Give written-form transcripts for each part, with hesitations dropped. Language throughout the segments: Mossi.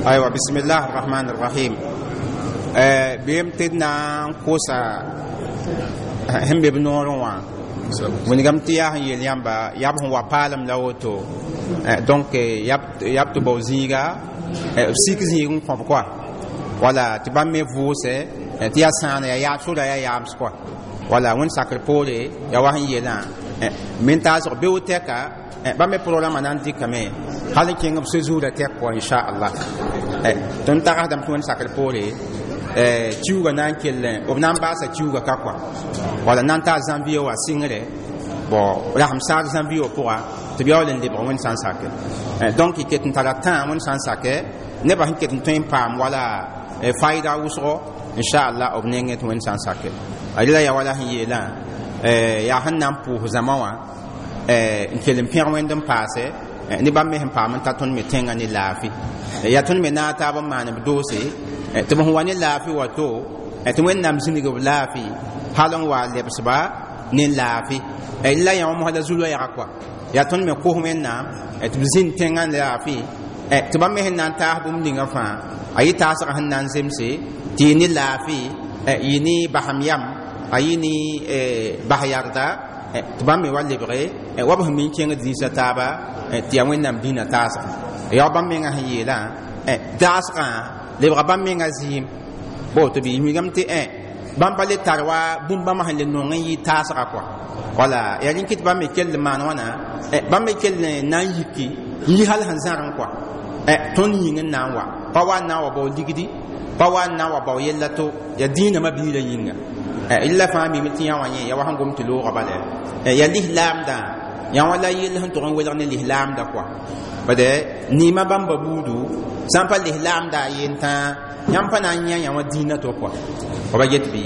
Aywa, bismillah arrahman arrahim. Bɩm tɩ d na n kosa sẽn be b noorẽ wã, wilgame tɩ yaa sẽn yeel yãmba yaa b sẽn wa paalem la woto. Donc yaa b tɩ bao zĩiga, b sik zĩig n kõb koa, wala tɩ bãmb me vʋʋsɛ tɩ yaa sãana, yaa yaab sora, yaa yaams koa. Wala wẽnd sakr poore yaa wa sẽn yeelã men taasg beo tɛka, bãmb me programa na n dɩkame hal n kẽng b séjour tɛk pʋga, inchallah. Tõnd tagsdame tɩ wẽnd sakr poore kiuugã na n kell b na n baasa kiuugã ka koa, wala na n taa janvier wa sɩngre bon rasem saag janvier wã pʋga tɩ b yaool n lebg wẽnd sã n sake. Donc y ket n tara tã wẽnd sã n sake nebã sẽn ket n tõe n paam wala faida wʋsgo, inchallah, b nengẽ tɩ wẽnd sã n sake. Rela yaa wala sẽn yeelã yaa sẽn na n pʋʋs zãma wã n kell n pẽg wẽnd n paase ne bãmb me sẽn paam n ta tõnd me tẽngã ne laafɩ. Yaa tõnd me naag taab n maan b doose tɩ b sẽn wa ne laafɩ wato tɩ Wẽnnaam zĩnig b laafɩ hal n wa lebsba ne laafɩ. La yã wã mosã la zu-loɛɛga koa, yaa tõnd me kos Wẽnnaam tɩ b zĩnd tẽngã laafɩ, tɩ bãmb me sẽn na n taas bũmb ninga fãa a yɩ taasgã sẽn na n zemse tɩ yɩ ne laafɩ, yɩ ne basem yam, a yɩ ne bas yarda, tɩ bãmb me wa lebge wa b sẽn mi n kẽngd zĩisã taaba tɩ yaa Wẽnnaam dĩinã taasgã. Yaa bãmb mengã sẽn yeelã taasgã lebga bãmb mengã zɩɩm bo tɩ b wilgame tɩ bãmb pa le tar wa bũmb bãmba sẽn le nong n yɩ taasga kɔa. Wala yaa rẽn kɩ tɩ bãmb me kell n maan wãna, bãmb me kell n na n yiki n yi hal sẽn zãr n kɔa tõnd yĩng n na n wa pa wa n na n wa bao ligdi, pa wa n na n wa bao yella to yaa dĩinamã biirã yĩnga. Rela fãa mime tɩ yã wã yẽ ya wa sẽn gom tɩ loogã bala yaa lislaamdã yã wã la yell sẽn tʋg n welg ne lislaamda kɔa. Bad niima bãmba buudu sã n pa lislaamda a yentã, yãmb pa na n yã yã wã dĩinã to kɔa ba get bɩ.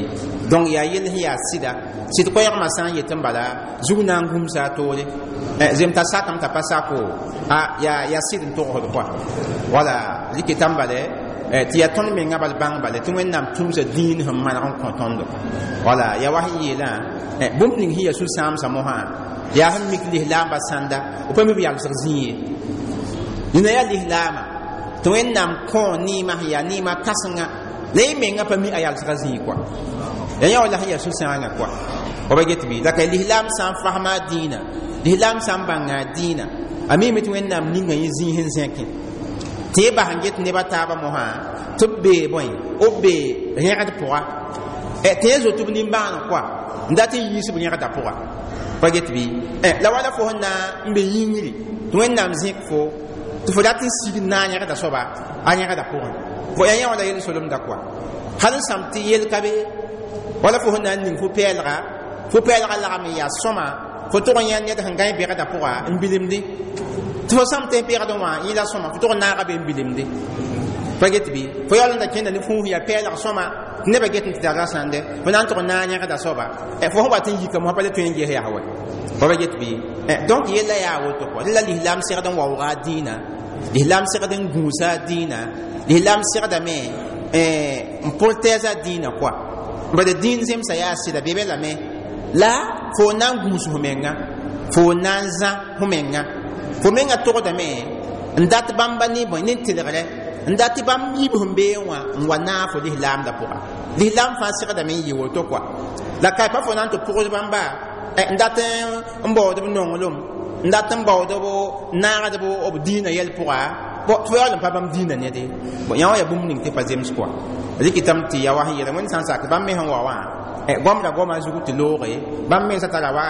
Donc yaa yell sẽn yaa sɩda sɩd koɛɛgmã sã n yet n bala zug na n gũmsa a toore zem t'a sakame t'a pa sako a yaa sɩd n togsd kɔa. Wala rɩkɩ tãmb bale tɩ yaa tõnd mengã bal bãng bale tɩ Wẽnnaam tũmsa dĩin sẽn maneg n kõ tõndo. Wala yaa wa sẽn yeelã bũmb ning sẽn yaa sũ-sãamsã mosã yaa sẽn mik lislaambã sãnda b pa mi b yalsg zĩ ye. Nina yaa lislaamã tɩ Wẽnnaam kõ neemã sẽn yaa neemã kãsenga la y mengã pa mi a yalsga zĩig kɔa, ya yã wala sẽn yaa sũ-sãangã kɔa ba get bɩ. La ka lislaam sã n fasma a dĩinã, lislaam sã n bãnga a dĩinã, a mime tɩ Wẽnnaam ninga yẽ zĩig sẽn zẽkẽ tɩ y bas n get neba taabã mosã tɩ b bee bõe b bee rẽgd pʋga tɩ yẽ zoet b nimbãaneg kɔa n dat n yiis b rẽgda pʋga pa get bɩ. La wala fo sẽn na n be yĩngri tɩ Wẽnnaam zẽk fo tɩ fo dat n sig n naag yẽgda soaba a yẽgda pʋgẽ fo yaa yã wala yel solemda kɔa hal n sãm tɩ yel ka be. Wala fo sẽn na n ning fo pɛɛlga lagm n yaa sõma fo tʋg n yã ned sẽn gãe bɛgda pʋga n bilemde tɩ fo sãm tɩ bɛgdẽ wã yẽ la sõma fo tʋg n naaga be n bilemde pa get bɩ. Fo yaool n da kẽnda ne fũus yaa pɛɛlg sõma tɩ nebã get n tɩ tara sãnde fo na n tʋg n naag yẽgda soaba fo sẽn wat n yika mosã pa le tõe n ges yaa wa pa ba get bɩ. Donc yella yaa woto kɔ la lislaam segd n waooga a dĩinã, lislaam segd n gũusa a dĩinã, lislaam segdame n protɛɛs a dĩinã kɔa. Bad dĩin zemsa yaa sɩda be be lame la fo na n gũus f menga, fo na n zã f menga, fo menga togdame n dat bãmba ne bõe ne tɩlgrɛ n dat tɩ bãmb yib sẽn bee wã n wa naag fo lislaamda pʋga. Lislaam fãa segdame n yɩ woto kɔa. La ka pa fo na n tɩ pʋgs bãmba n dat n baood b nonglem, n dat n baood b naagd b dĩinã yɛl pʋga tɩ fo yaool n pa bãmb dĩinã nede bon yã wã yaa bũmb ning tɩ pa zems kɔa. Rɩkɩtame tɩ ya wa sẽn yeela Wẽnd sã n sak bãmb me sẽn wa wã goamda goamã zugu tɩ looge bãmb mensã tara wa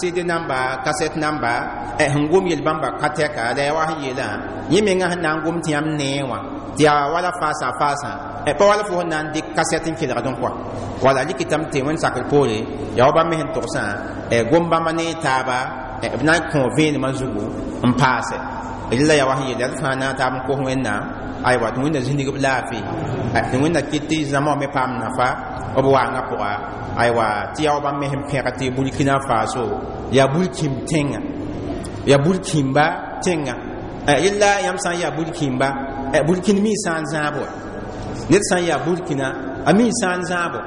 cd namba, kasɛt namba sẽn gom yel bãmba ka tɛka. La yaa wa sẽn yeelã yẽ mengã sẽn na n gom tɩ yãmb nee wã tɩ yaa wala faasa faasã pa wala fo sẽn na n dɩk kasɛt n kelgd n kɔa. Wala rɩkɩtame tɩ Wẽnd sakr poore yaa wa bãmb me sẽn togsã gom bãmba ne taaba b na n kõ vẽenemã zugu n paase. Rela yaa wa sẽn yeela d fãa na n taab n kos Wẽnnaam aywa tɩ Wẽnna zĩnig b laafɩ, tɩ Wẽnna kɩt tɩ zãma wã me paam nafa b waangã pʋga. Aywa tɩ yaa wa bãmb me sẽn pẽg tɩ Burkina Faso yaa burkĩmb tẽnga, yaa burkĩmba tẽnga. Yella yãmb sã n yaa burkĩmba, burkĩn mi sã n zãab wa ned sã n yaa burkina a mi sã n zãabo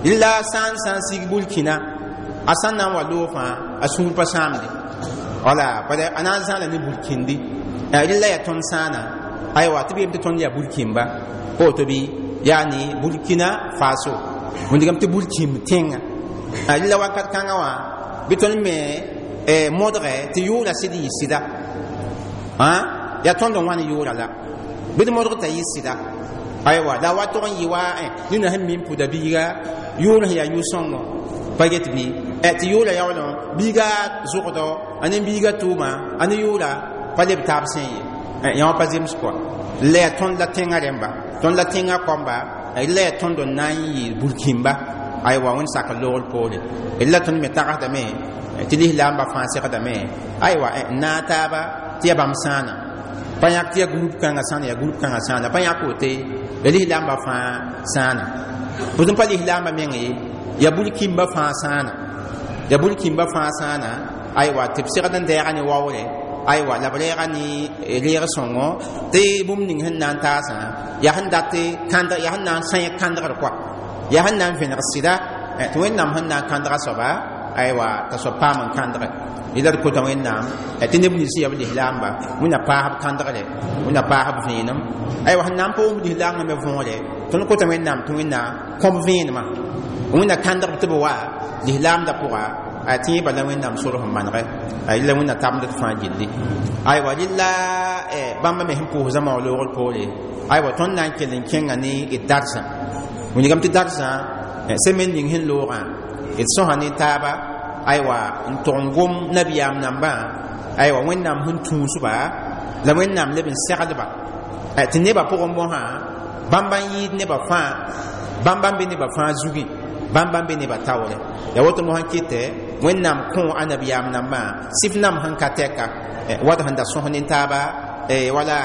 yella sã n sig burkina a sã n na n wa loog fãa a sũur pa sãamde wala bala a na n zãala ne burkĩndi. Rella yaa tõnd sãana Aywa, tɩ b yem tɩ tõnd yaa burkĩmba pa woto bɩ, yaani Burkina Faso, wĩndgame tɩ burkĩmb tẽnga. Rɩla wakat kãngã wã bɩ tõnd me modgɛ tɩ yʋʋra sɩd yɩ sɩda. Yaa tõnd n wãn yʋʋra la bɩ d modg t'a yɩ sɩda. Aywa, la wa tog n yɩ wa nina sẽn mi n pʋda biiga yʋʋr sẽn yaa yʋ-sõngo pa get bɩ tɩ yʋʋra yaoolẽ biiga zʋgdɔ a ne biiga tʋʋma a ne yʋʋra pa leb taab sẽn ye yã wã pa zems kɔa. La yaa tõnd la tẽngã rẽmba, tõnd la tẽngã kɔmba, la yaa tõnd n na n yɩ burkĩmba. Aywa, wẽnd sak loogr poore la tõnd me tagsdame tɩ lislaambã fãa segdame. Aywa, n naag taaba tɩ yaa bãmb sãana pa yãk tɩ yaa group kãngã sãana, yaa group kãngã sãana pa yãk wote, ya lislaambã fãa sãana. Bʋd n pa lislaambã meng ye, yaa burkĩmbã fãa sãana, yaa burkĩmbã fãa sãana. Aywa, tɩ b segd n dɛɛga ne waoore. Aywa, la b reega ne reeg sõngo tɩ bũmb ning sẽn na n taasã yaa sẽn dat kãndg, yaa sẽn na n sãẽ kãndgr kɔa, yaa sẽn na n vẽneg sɩda tɩ Wẽnnaam sẽn na n kãndga soaba. Aywa, t'a soab paam n kãndge yẽla d kota Wẽnnaam tɩ neb nins yaa b lislaamba, Wẽnna paas b kãndgre, Wẽnna paas b vẽenem. Aywa, sẽn na n pa wʋm lislaangã me võore, tõnd kota Wẽnnaam tɩ Wẽnna kõb vẽenemã, Wẽnna kãndg tɩ b wa lislaamdã pʋga a tɩ yẽ bala Wẽnnaam sor sẽn manege a yella Wẽnna tabd d fãa gilli. Aywa, rɩla bãmba me sẽn pʋʋs zãma wã loogr poore. Aywa, tõnd na n kell n kẽnga ne d darsã, wilgame tɩ darsã semaine ning sẽn loogã d sõsa ne taaba. Aywa, n tʋg n gom nabiyaam nambã. Aywa, Wẽnnaam sẽn tũusba la Wẽnnaam leb n segdba tɩ nebã pʋgẽ mosã bãmba n yɩɩd nebã fãa, bãmba n be nebã fãa zugẽ, bãmba n be nebã taoore. Yaa woto mosã kɩtɛ Wẽnnaam kõ a nabiyaam nambã sɩf nam sẽn ka tɛka wat sẽn da sõs ne taaba wala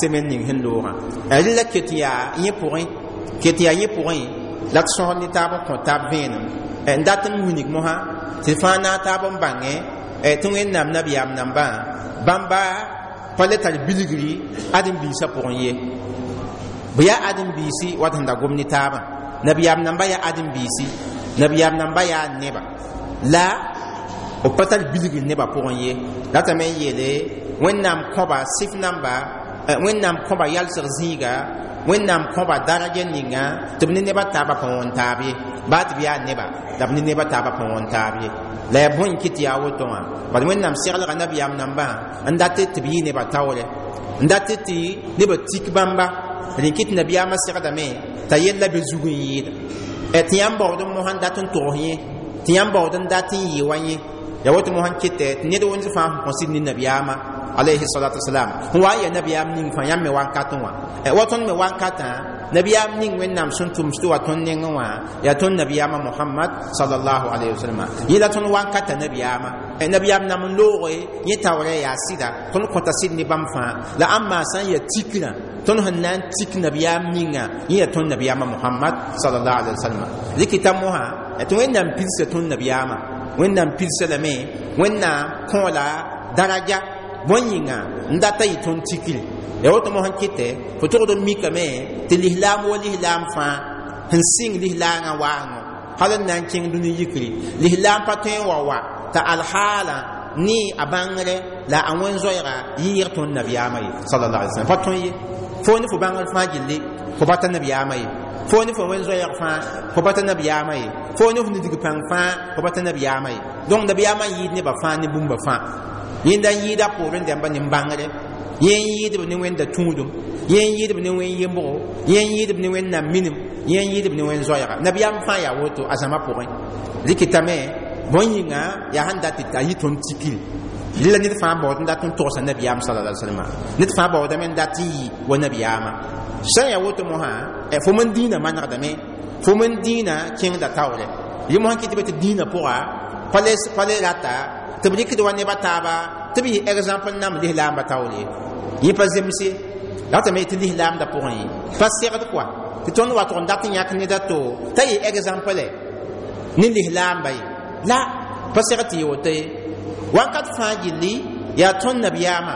semaine ning sẽn loogã. Rɩla ket yaa yẽ pʋgẽ, ket yaa yẽ pʋgẽ la d sõsd ne taab n kõ taab vẽenem n dat n wilg mosã tɩ fãa naag taab n bãngẽ tɩ Wẽnnaam nabiyaam nambã bãmba pa le tar bilgri ãdem-biisã pʋgẽ ye. Bɩ yaa ãdem-biisi wat sẽn da gom ne taabã, nabiyaam nambã yaa ãdem-biisi, nabiyaam nambã yaa neba, la b pa tar bilgr nebã pʋgẽ ye. Ratame n yeele Wẽnnaam kõba sɩf namba, Wẽnnaam kõba yalsg zĩiga, Wẽnnaam kõba daraja ninga tɩ b ne nebã taabã pa wõn taab ye, baa tɩ b yaa neba la b ne nebã taabã pa wõn taab ye. La yaa bõe n kɩt yaa woto wã? Bad Wẽnnaam seglga nabiyaam nambã n dat tɩ b yɩ nebã taoore, n dat tɩ nebã tik bãmba. Rẽ kɩt nabiyaamã segdame t'a yella be zug n yɩɩda tɩ yãmb baood n mosã n dat n togs yẽ, tɩ yãmb baood n dat n yɩ wa yẽ. Yaa woto mosã n kɩtɛ tɩ ned wẽnd fãa sẽn kõ sɩd ne nabiyaamã alayhi salatu wasalam n wa n yaa nabiyaam ning fãa yãmb me wankatẽ wã wa tõnd me wankatã nabiyaam ning Wẽnnaam sẽn tʋms tɩ wa tõnd nengẽ wã yaa tõnd nabiyaamã Mohamad sallallahu alayhi wasallam. Yẽ la tõnd wankata nabiyaamã, nabiyaam nam n looge yẽ taoorɛ yaa sɩda, tõnd kõta sɩd ne bãmb fãa. La ãmba sã n yaa tikrã, tõnd sẽn na n tik nabiyaam ninga yẽ yaa tõnd nabiyaamã Mohamad sallallahu alayhi wasallam. Rɩkɩta mosã tɩ Wẽnnaam pilsa tõnd nabiyaamã, Wẽnnaam pilsa lame, Wẽnnaam kõ la daraja bõe yĩnga n data yɩ tõnd tikri. Ya woto mosã kɩtɛ fo togd n mikame tɩ lislaam wa lislaam fãa sẽn sɩng lislaangã waango hal n na n kẽng dũni yikri, lislaam pa tõe n wa wa t'a alhaala ne a bãngre la a wẽn-zoɛɛga yɩɩg tõnd nabiyaamã ye sallallahu alaihi wasallam pa tõe ye. Fo ne fo bãngr fãa gilli fo bata nabiyaamã ye, fo ne fo wẽn-zoɛɛg fãa fo bata nabiyaamã ye, fo ne fo nidg pãng fãa fo bata nabiyaamã ye. Donc nabiyaamã yɩɩd nebã fãa ne bũmba fãa. Yẽnda n yɩɩda poorẽ dãmba ne bãngre, yẽ n yɩɩdb ne Wẽnda tũudum, yẽ n yɩɩdb ne wẽn yembgo, yẽ n yɩɩdb ne Wẽnnaam minim, yẽ n yɩɩdb ne wẽn-zoɛɛga. Nabiyaam fãa yaa woto a zãma pʋgẽ. Rɩkɩtame bõe yĩnga yaa sẽn dat tɩ a yɩ tõnd tikri. Rɩla ned fãa baood n dat n togsa nabiyaam sallallahu alaihi wasallam, ned fãa baoodame n dat n yɩ wa nabiyaamã. Sã n yaa woto mosã fo men dĩinã manegdame, fo men dĩinã kẽngda taoore. Yẽ mosã kɩ tɩ be tɩ dĩinã pʋga pa le rata tɩ b rɩkd wa nebã taaba tɩ b yɩ exemple nam lislaambã taoore yẽ pa zemse ratame tɩ lislaamdã pʋgẽ ye pa segd kɔa tɩ tõnd wa tʋg n dat n yãk ned a to t'a yɩ exemple ne lislaamba ye la pa segd tɩ yɩ woto ye. Wakat fãa gilli yaa tõnd nabiyaamã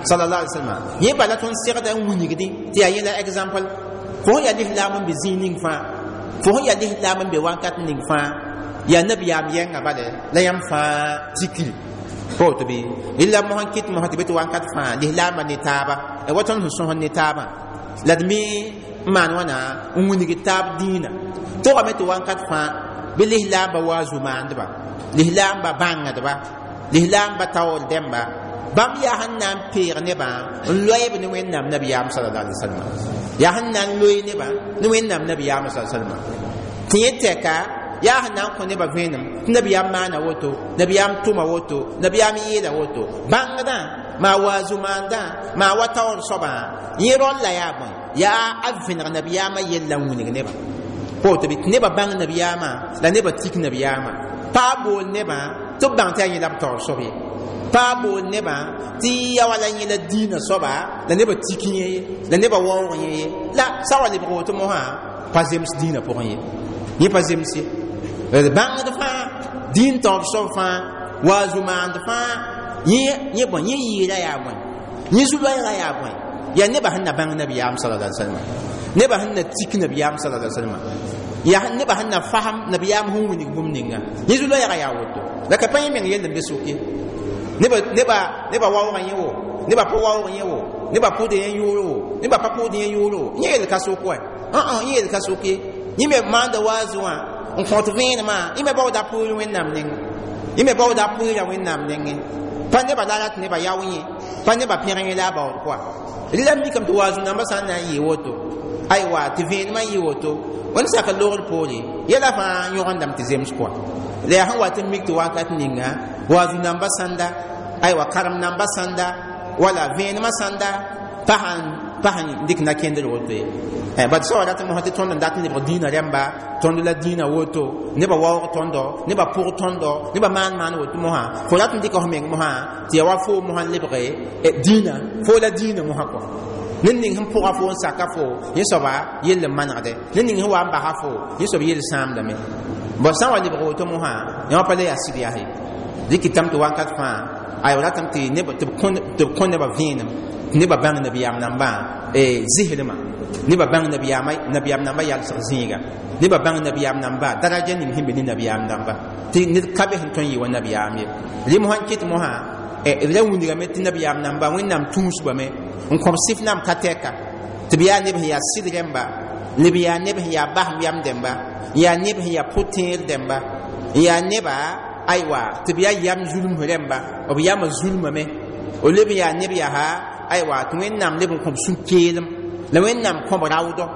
sallallahu alaihi wasallam yẽ bala tõnd segda n wilgdi tɩ yaa yẽla exemple. Fo sẽn yaa lislaam n be zĩig ning fãa, fo sẽn yaa lislaam n be wakat ning fãa, yaa nabiyaam yɛngã bala la yãmb fãa tikri. Pa woto bɩ rɩla mos n kɩt mosã tɩ be tɩ wakat fãa lislaambã ne taaba wa tõnd sẽn sõsd ne taabã la d me n maan wãna n wilgd taab dĩinã togame tɩ wakat fãa bɩ lislaambã waazu maandba lislaambã bãngdba lislaambã taoor dẽmba bãmb yaa sẽn na n peeg nebã n loeeb ne Wẽnnaam nabiyaam sallallahu alaihi wasallam yaa sẽn na n loe nebã ne Wẽnnaam nabiyaam sallallahu alaihi wasallam tɩ yẽ tɛka yaa sẽn na n kõ nebã vẽenem tɩ nabiyaam maana woto nabiyaam tʋma woto nabiyaam yeela woto bãngdã maa waazu maandã maa wa taoor soabã yẽ rõlla yaa bõe yaa a vẽneg nabiyaamã yella n wilg nebã pa woto bɩ tɩ nebã bãng nabiyaamã la nebã tik nabiyaamã pa bool nebã tɩ b bãng tɩ yaa yẽ la b taoor soab ye pa bool nebã tɩ ya wala yẽ la dĩinã soaba la nebã tik yẽ ye la nebã waoog yẽ ye la sa wa lebg woto mosã pa zems dĩinã pʋgẽ ye yẽ pa zems ye bãngd fãa dĩin taoor soab fãa waazu maand fãa yẽ bõe yẽ yɩɩra yaa bõe yẽ zu-loɛɛga yaa bõe yaa nebã sẽn na bãng nabiyaam sallallahu alaihi wasallam nebã sẽn na tik nabiyaam sallallahu alaihi wasallam yaa nebã sẽn na fasem nabiyaam sẽn wilg bũmb ninga yẽ zu-loɛɛga yaa woto la ka pa yẽ meng yell n be soke neba waoogã yẽ wo neba pa waoog yẽ wo neba pʋʋd yẽ yʋʋr wo neba pa pʋʋd yẽ yʋʋr wo yẽ yel ka sok wa yẽ yel ka sok ye yẽ me maanda waazu wã n kõt vẽenemã yẽ me baooda pʋʋr Wẽnnaam nengẽ yẽ me baooda pʋʋra Wẽnnaam nengẽ pa neba la rat neba yao yẽ pa neba pẽg yẽ la a baood pʋga rɩla mikame tɩ waazu nambã sã n na n yɩ woto aywa tɩ vẽenemã yɩ woto wẽnd sak logr poore yɛla fãa yõgendame tɩ zems kɔa la yaa sẽn wat n mik tɩ wakat ninga waazu nambã sãnda aywa karem nambã sãnda wala vẽenemã sãnda pa sẽn dɩk na-kẽndr woto ye bad soaba rat n mosã tɩ tõnd n dat n lebg dĩinã rẽmba tõnd la dĩinã woto nebã waoog tõndo nebã pʋg tõndo nebã maan maan woto mosã fo rat n dɩka f meng mosã tɩ ya wa foo mosã n lebge dĩinã foo la dĩinã mosã kɔa ned ning sẽn pʋga fo n saka fo yẽ soaba yell n manegdɛ ned ning sẽn wa n basa fo yẽ soab yell sãamdame bõn sã n wa lebg woto mosã yã wã pa le yaa sɩd yaa ye dɩkɩtame tɩ wakat fãa aywa ratame tɩ b kõ nebã vẽenem tɩ nebã bãng nabiyaam nambã zisremã nebã bãng nabiyaam nambã yalsg zĩiga nebã bãng nabiyaam nambã daraja ning sẽn be ne nabiyaam namba tɩ ned ka be sẽn tõe n yɩ wa nabiyaam ye rɩ mosã n kɩt mosã b ra wilgame tɩ nabiyaam namba Wẽnnaam tũusbame n kõb sɩf nam ka tɛka tɩ b yaa neb sẽn yaa sɩd rẽmba neb yaa neb sẽn yaa basem yam dẽmba yaa neb sẽn yaa pʋ-tẽer dẽmba yaa neba aywa tɩ b yaa yam zulms rẽmba b yamã zulmame b leb n yaa neb yaa aywa tɩ Wẽnnaam leb n kõb sũ-keelem la Wẽnnaam kõb raoodɔ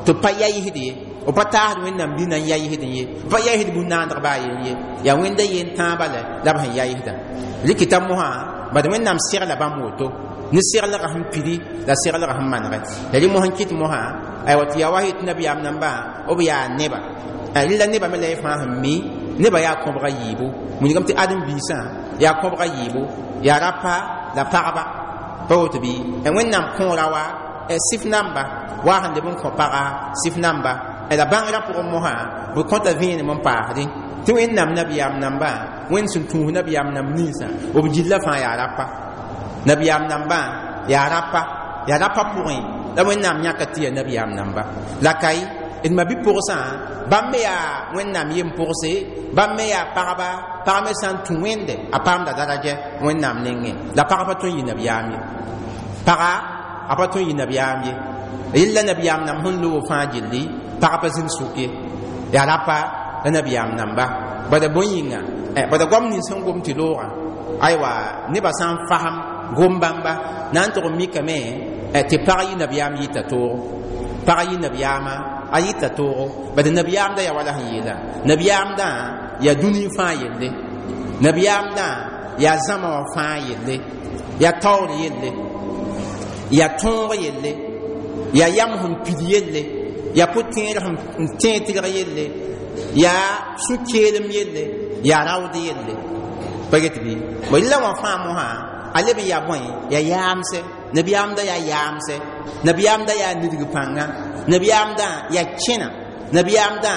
tɩ b pa yayisd ye b pa taasd Wẽnnaam dĩnã n yayisd ye b pa yayisd bũn-naandg baa yen ye yaa Wẽnda yen tãabã la b sẽn yayisdã rɩkɩta mosã bad Wẽnnaam segla bãmb woto ne seglgã sẽn pidi la seglgã sẽn manegɛ la rɩ mosã n kɩt mosã aywa tɩ yaa wa yetɩ nabiyaam nambã b yaa neba rɩla nebã me la y fãa sẽn mi nebã yaa kõbga yiibu wilgame tɩ ãdem-biisã yaa kõbga yiibu yaa rapa la pagba pa woto bɩ Wẽnnaam kõora wa sɩf namba wa sẽn leb n kõ paga sɩf namba la bãngrã pʋgẽ mosã b kõta vẽenem n paasdẽ tɩ Wẽnnaam nabiyaam nambã Wẽnd sẽn tũus nabiyaam namb ninsã b gilla fãa yaa rapa nabiyaam nambã yaa rapa pʋgẽ la Wẽnnaam yãka tɩ yaa nabiyaam namba la ka ye d ma bi-pʋgsã bãmb me yaa Wẽnnaam yem-pʋgse bãmb me yaa pagba pag me sã n tũ Wẽnde a paamda daraja Wẽnnaam nengẽ la pag pa tõe n yɩ nabiyaam ye paga a pa tõe n yɩ nabiyaam ye yella nabiyaam namb sẽn loog fãa gilli pag pa zĩnd sʋk ye yaa rapa la nabiyaam namba bada bõe yĩnga bada goam nins sẽn gom tɩ loogã aywa nebã sã n fasem gom bãmba na n tʋg n mikame tɩ pag yɩ nabiyaam yɩta toogo pag yɩ nabiyaamã a yɩta toogo bad nabiyaamdã yaa wala sẽn yeela nabiyaamdã yaa dũni fãa yelle nabiyaamdã yaa zãma wã fãa yelle yaa taoor yelle yaa tõog yelle yaa yam sẽn pid yelle yaa pʋ-tẽer sẽn tẽeg tɩlg yelle yaa sũ-keelem yelle yaa raood yelle pa get bɩ bõ rɩla wã fãa mosã a leb n yaa bõe yaa yaamsɛ nabiyaamdã yaa yaamsɛ nabiyaamdã yaa nidg pãnga nabiyaamdã yaa kẽna nabiyaamdã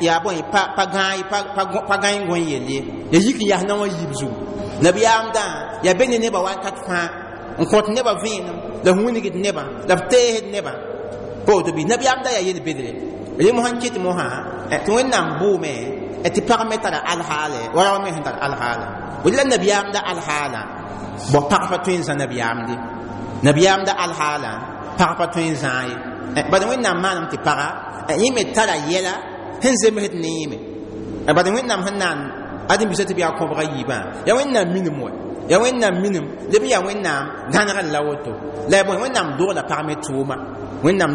yaa bõe pa gãe gõe yell ye ya yik n yas na wã yiib zugu nabiyaamdã yaa be ne nebã wakat fãa n kõt nebã vẽenem la f wilgd nebã la f teesd nebã pa woto bɩ nabiyaamdã yaa yel-bedre rẽ mosã n kɩt mosã tɩ Wẽnnaam bʋʋme Tɩ pag me tara alhaale wa rao me sẽn tar alhaala la nabiyaamda alhaala bõ pag pa tõe n zã nabiyaamde nabiyaamda alhaala pag pa tõe n zãa ye bad Wẽnnaam maanam tɩ paga yẽ me tara yɛla sẽn zemsd ne yẽ me bad Wẽnnaam sẽn naan ãdem-biisã tɩ b yaa kõbga yiibã yaa Wẽnnaam minim wa yaa Wẽnnaam minim leb yaa Wẽnnaam gãnegr la woto la ya bõe Wẽnnaam dogla pag me tʋʋma Wẽnnaam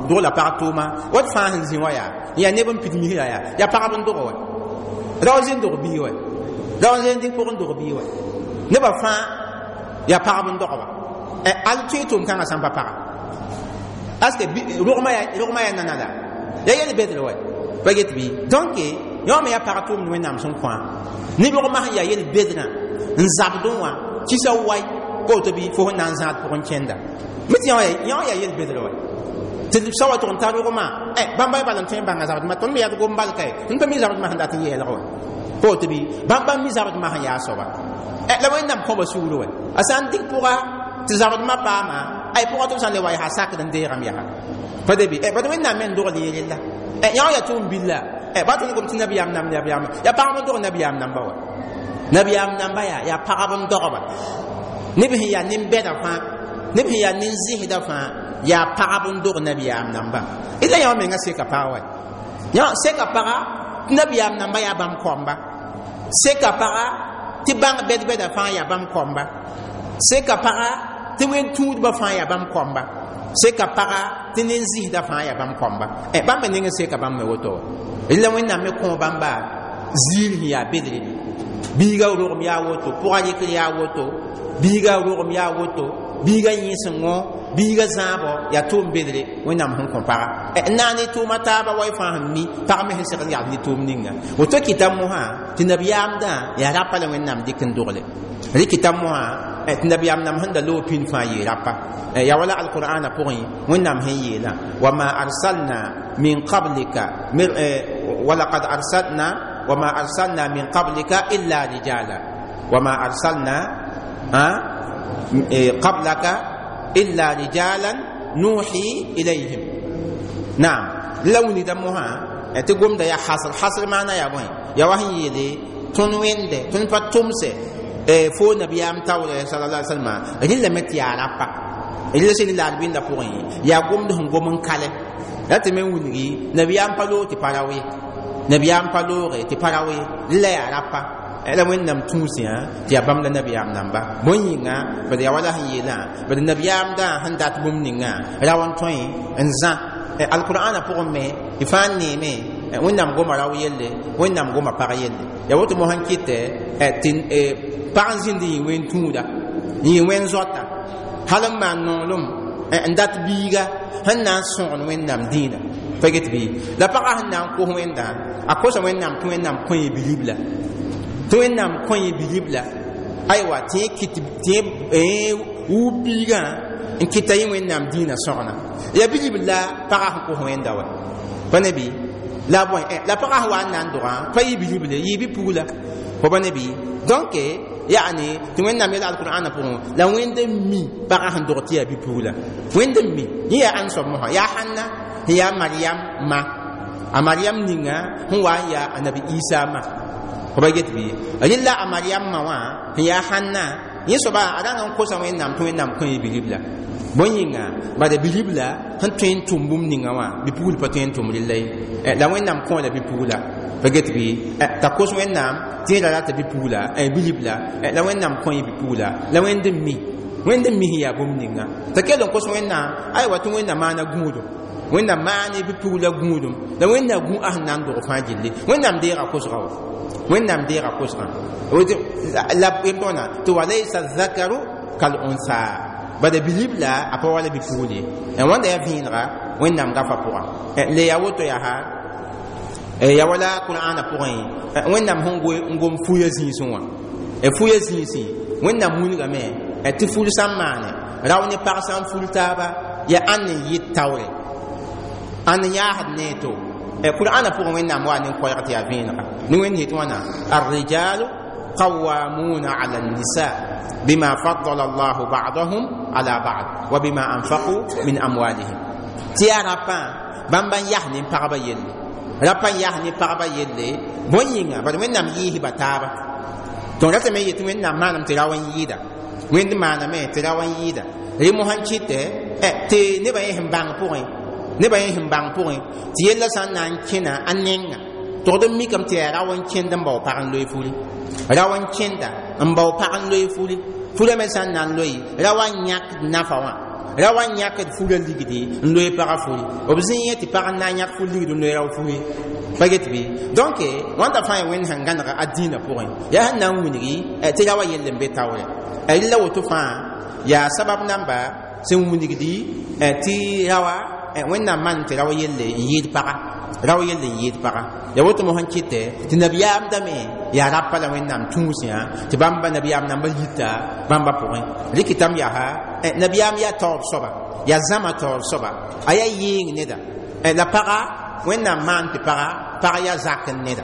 dogla pag tʋʋma wat fãa sẽn zĩ wã yaa neb n pid misra yaa pagb n dog wa rao zĩ n dog bii wa rao zĩ n dɩk pʋg n dog bii wa nebã fãa yaa pagb n dogba al tõe tʋʋm kãngã sãn pa paga parce que rogmã yaa nana la yaa yel bedr wa pa get bɩ donc yõ me yaa pag tʋʋmd Wẽnnaam sẽn kõ ne rogmã sẽn yaa yel bedrã n zabdẽ wã kisa wai pa woto bɩ fo sẽn na n zãad pʋgẽ kẽnda me tɩ yõ yaa yel bedr wa tɩ sa wa tʋg n tar rogmã bãmba bal n tõe n bãnga zabdmã tõnd me yaa d gom bal kae tõnd pa mi zabdmã sẽn dat n yeelg wa pa woto bɩ bãmb mi zabdmã sẽn yaa soaba la Wẽnnaam kõba sugr wa a sã n dɩk pʋga tɩ zabdmã paama ay pʋga tɩ b sã n le wa yaa sakd n deegame yaa pa de bɩ bad Wẽnnaam me n dogl yẽ rella yõ yaa tʋʋm billa ba tõnd gom tɩ nabiyaam nam nabiyaam yaa pagb n dog nabiyaam namba wa nabiyaam namba yaa pagb n dogba neb sẽn yaa nin-bɛda fãa neb sẽn yaa nin-zɩsda fãa yaa pagb n dog nabiyaam namba la yõ menga seka pag wa yõ seka paga tɩ nabiyaam namba yaa bãmb kɔmba seka paga tɩ bãng bɛd-bɛda fãa yaa bãmb kɔmba seka paga tɩ wẽn-tũudbã fãa yaa bãmb kɔmba seka paga tɩ nin-zɩsda fãa yaa bãmb kɔmba bãmb me ning seka bãmb me woto wa la Wẽnnaam me kõ bãmba ziir sẽn yaa bedre biiga rogem yaa woto pʋga rɩkr yaa woto biiga rogem yaa woto biiga yẽsengõ biiga zãabɔ yaa tʋʋm bedre Wẽnnaam sẽn kõ paga n na ne tʋʋma taaba wa y fãa sẽn mi pag me sẽn segd n yagd ne tʋʋm ninga woto kɩta mosã tɩ nabiyaamdã yaa rapa la Wẽnnaam dɩk n dogle rɩkɩta mosã tɩ nabiyaam nam sẽn da loog pĩnd fãa yee rapa yaa wala alqur'ana pʋgẽ Wẽnnaam sẽn yeelã wama arsalna min qablika walaqad arsalna wama arsalna min qablika illa rijala wama arsalna qablaka illa rijalan nuhi ilayhim naam la wũnida mosã tɩ gomda yaa hasr hasr maana yaa bõe yaa wa sẽn yeele tõnd wẽnde tõnd pa tʋmse fo nabiyaam taoore sallallahu alaihi wasallam rɩlame tɩ yaa rapa rɩla sẽn la d bĩnda pʋgẽ yaa gomd sẽn gom n kalɛ la tɩ me wilgi nabiyaam pa loog tɩ pa rao ye nabiyaam pa looge tɩ pa rao ye rɩla yaa rapa la Wẽnnaam tũusẽ tɩ yaa bãmb la nabiyaam namba bõe yĩnga bad yaa wala sẽn yeelã bad nabiyaamdã sẽn dat bũmb ninga rao n tõe n zã alqur'ana pʋgẽ me y fãa n neeme Wẽnnaam goma rao yelle Wẽnnaam goma pag yelle yaa woto mosã n kɩtɛ tɩ pag n zĩnd yĩ wẽn tũuda yĩ wẽn zoata hal n maan nonglem n dat biiga sẽn na n sõgen Wẽnnaam dĩinã pa get bɩ la pagã sẽn na n kos Wẽnda a kosa Wẽnnaam tɩ Wẽnnaam kõ yẽ bilibla tɩ Wẽnnaam kõ yẽ bilibla aywa tɩ yẽ kɩt tɩ yẽ wub biigã n kɩta yẽ Wẽnnaam dĩinã sõgna yaa bilibl la pagã sẽn kos Wẽnda wa pa ne bɩ la bõe la pagã sẽn wa n na n dogã pa yɩ bilible yɩ bi-pugla fo pa ne bɩ donc yaani tɩ Wẽnnaam yɛla alqur'ana pʋgẽ la Wẽnd n mi pagã sẽn dog tɩ yaa bi-pugla Wẽnd n mi yẽ yaa ãn soab mosã yaa Hãnna sẽn yaa Mariam ma a Mariam ninga sẽn wa n yaa a nabi Isa ma fo pa get bɩ rɩla a Mariam ma wã sẽn yaa Hãnna yẽ soaba a rãng n kosa Wẽnnaam tɩ Wẽnnaam kõ yẽ bilibla bõe yĩnga bada bilibla sẽn tõe n tʋm bũmb ninga wã bi-pugl pa tõe n tʋm rɩlla ye la Wẽnnaam kõ la bi-pugla pa get bɩ t'a kos Wẽnnaam tɩ yẽ ra rata bi-pugla bilibla la Wẽnnaam kõ yẽ bi-pugla la Wẽnd n mi Wẽnd n mi sẽn yaa bũmb ninga t'a kell n kos Wẽnnaam aywa tɩ Wẽnnaam maana gũudum Wẽnnaam maan bi-pugla gũudum la Wẽnnaam gũ a sẽn na n dog fãa gilli Wẽnnaam deega kosga wa Wẽnnaam deega kosgã la tõna tɩ walaysa zakaru kal unsa bada bilibla a pa wala bi-pugl ye wãnda yaa vẽenega Wẽnnaam gafa pʋga le yaa woto yaa ya wala qur'ana pʋgẽ Wẽnnaam sẽn n gom fuya zĩisẽ wã fuya zĩisẽ Wẽnnaam wilgame tɩ ful sã n maane rao ne pag sã n ful taaba yaa ãnd n yɩt taoore ãnd n yaasd ne to qur'ana pʋgẽ Wẽnnaam wa ne koɛɛg tɩ yaa vẽenega ne Wẽnd yetɩ wãna الرجال قوامون على النساء بما فضل الله بعضهم على بعض وبما أنفقوا من أموالهم tɩ yaa rapã bãmb n yas ne pagba yelle Rapa n yaa ne pagba yelle bõe yĩnga bad Wẽnnaam yɩɩs ba taaba. Tõnd ratame yetɩ Wẽnnaam maanam tɩ rao n yɩɩda, Wẽnd maaname tɩ rao n yɩɩda. Rẽ mosã n kɩtɛ tɩ nebã yẽ sẽn bãng pʋgẽ, nebã yẽ sẽn bãng pʋgẽ tɩ yella sã n na n kẽna a nenga togd n mikame tɩ yaa rao n kẽnd n bao pag n loe furi, rao n kẽnda n bao pag n loe furi. Furã me sã n na n loe, ra wa n yãkd nafa wã, ra wa n yãkd furã ligdi n loe pagã furi. B zĩ tɩ pag n na n yãk fur ligd n loe rao furi pa get bɩ. Donc wãnda fãa ya Wẽnd sẽn gãneg a dĩinã pʋgẽ, yaa sẽn na n wilgi tɩ ra wa yell n be taoorɛ. Rɩla woto fãa yaa sabab namba sẽn wilgdi tɩ rawa Wẽnnaam maan tɩ rao yelle n yɩɩd paga, rao yelle n yɩɩd paga. Ya woto mosã n kɩtɛ tɩ nabiyaam dame yaa rapa la Wẽnnaam tũusẽ tɩ bãmba nabiyaam namba yita bãmba pʋgẽ. Rɩkɩtame yaa nabiyaam yaa taoor soaba, yaa zãma taoor soaba, a yaa yɩɩng neda la paga Wẽnnaam maan tɩ paga, pag yaa zak n neda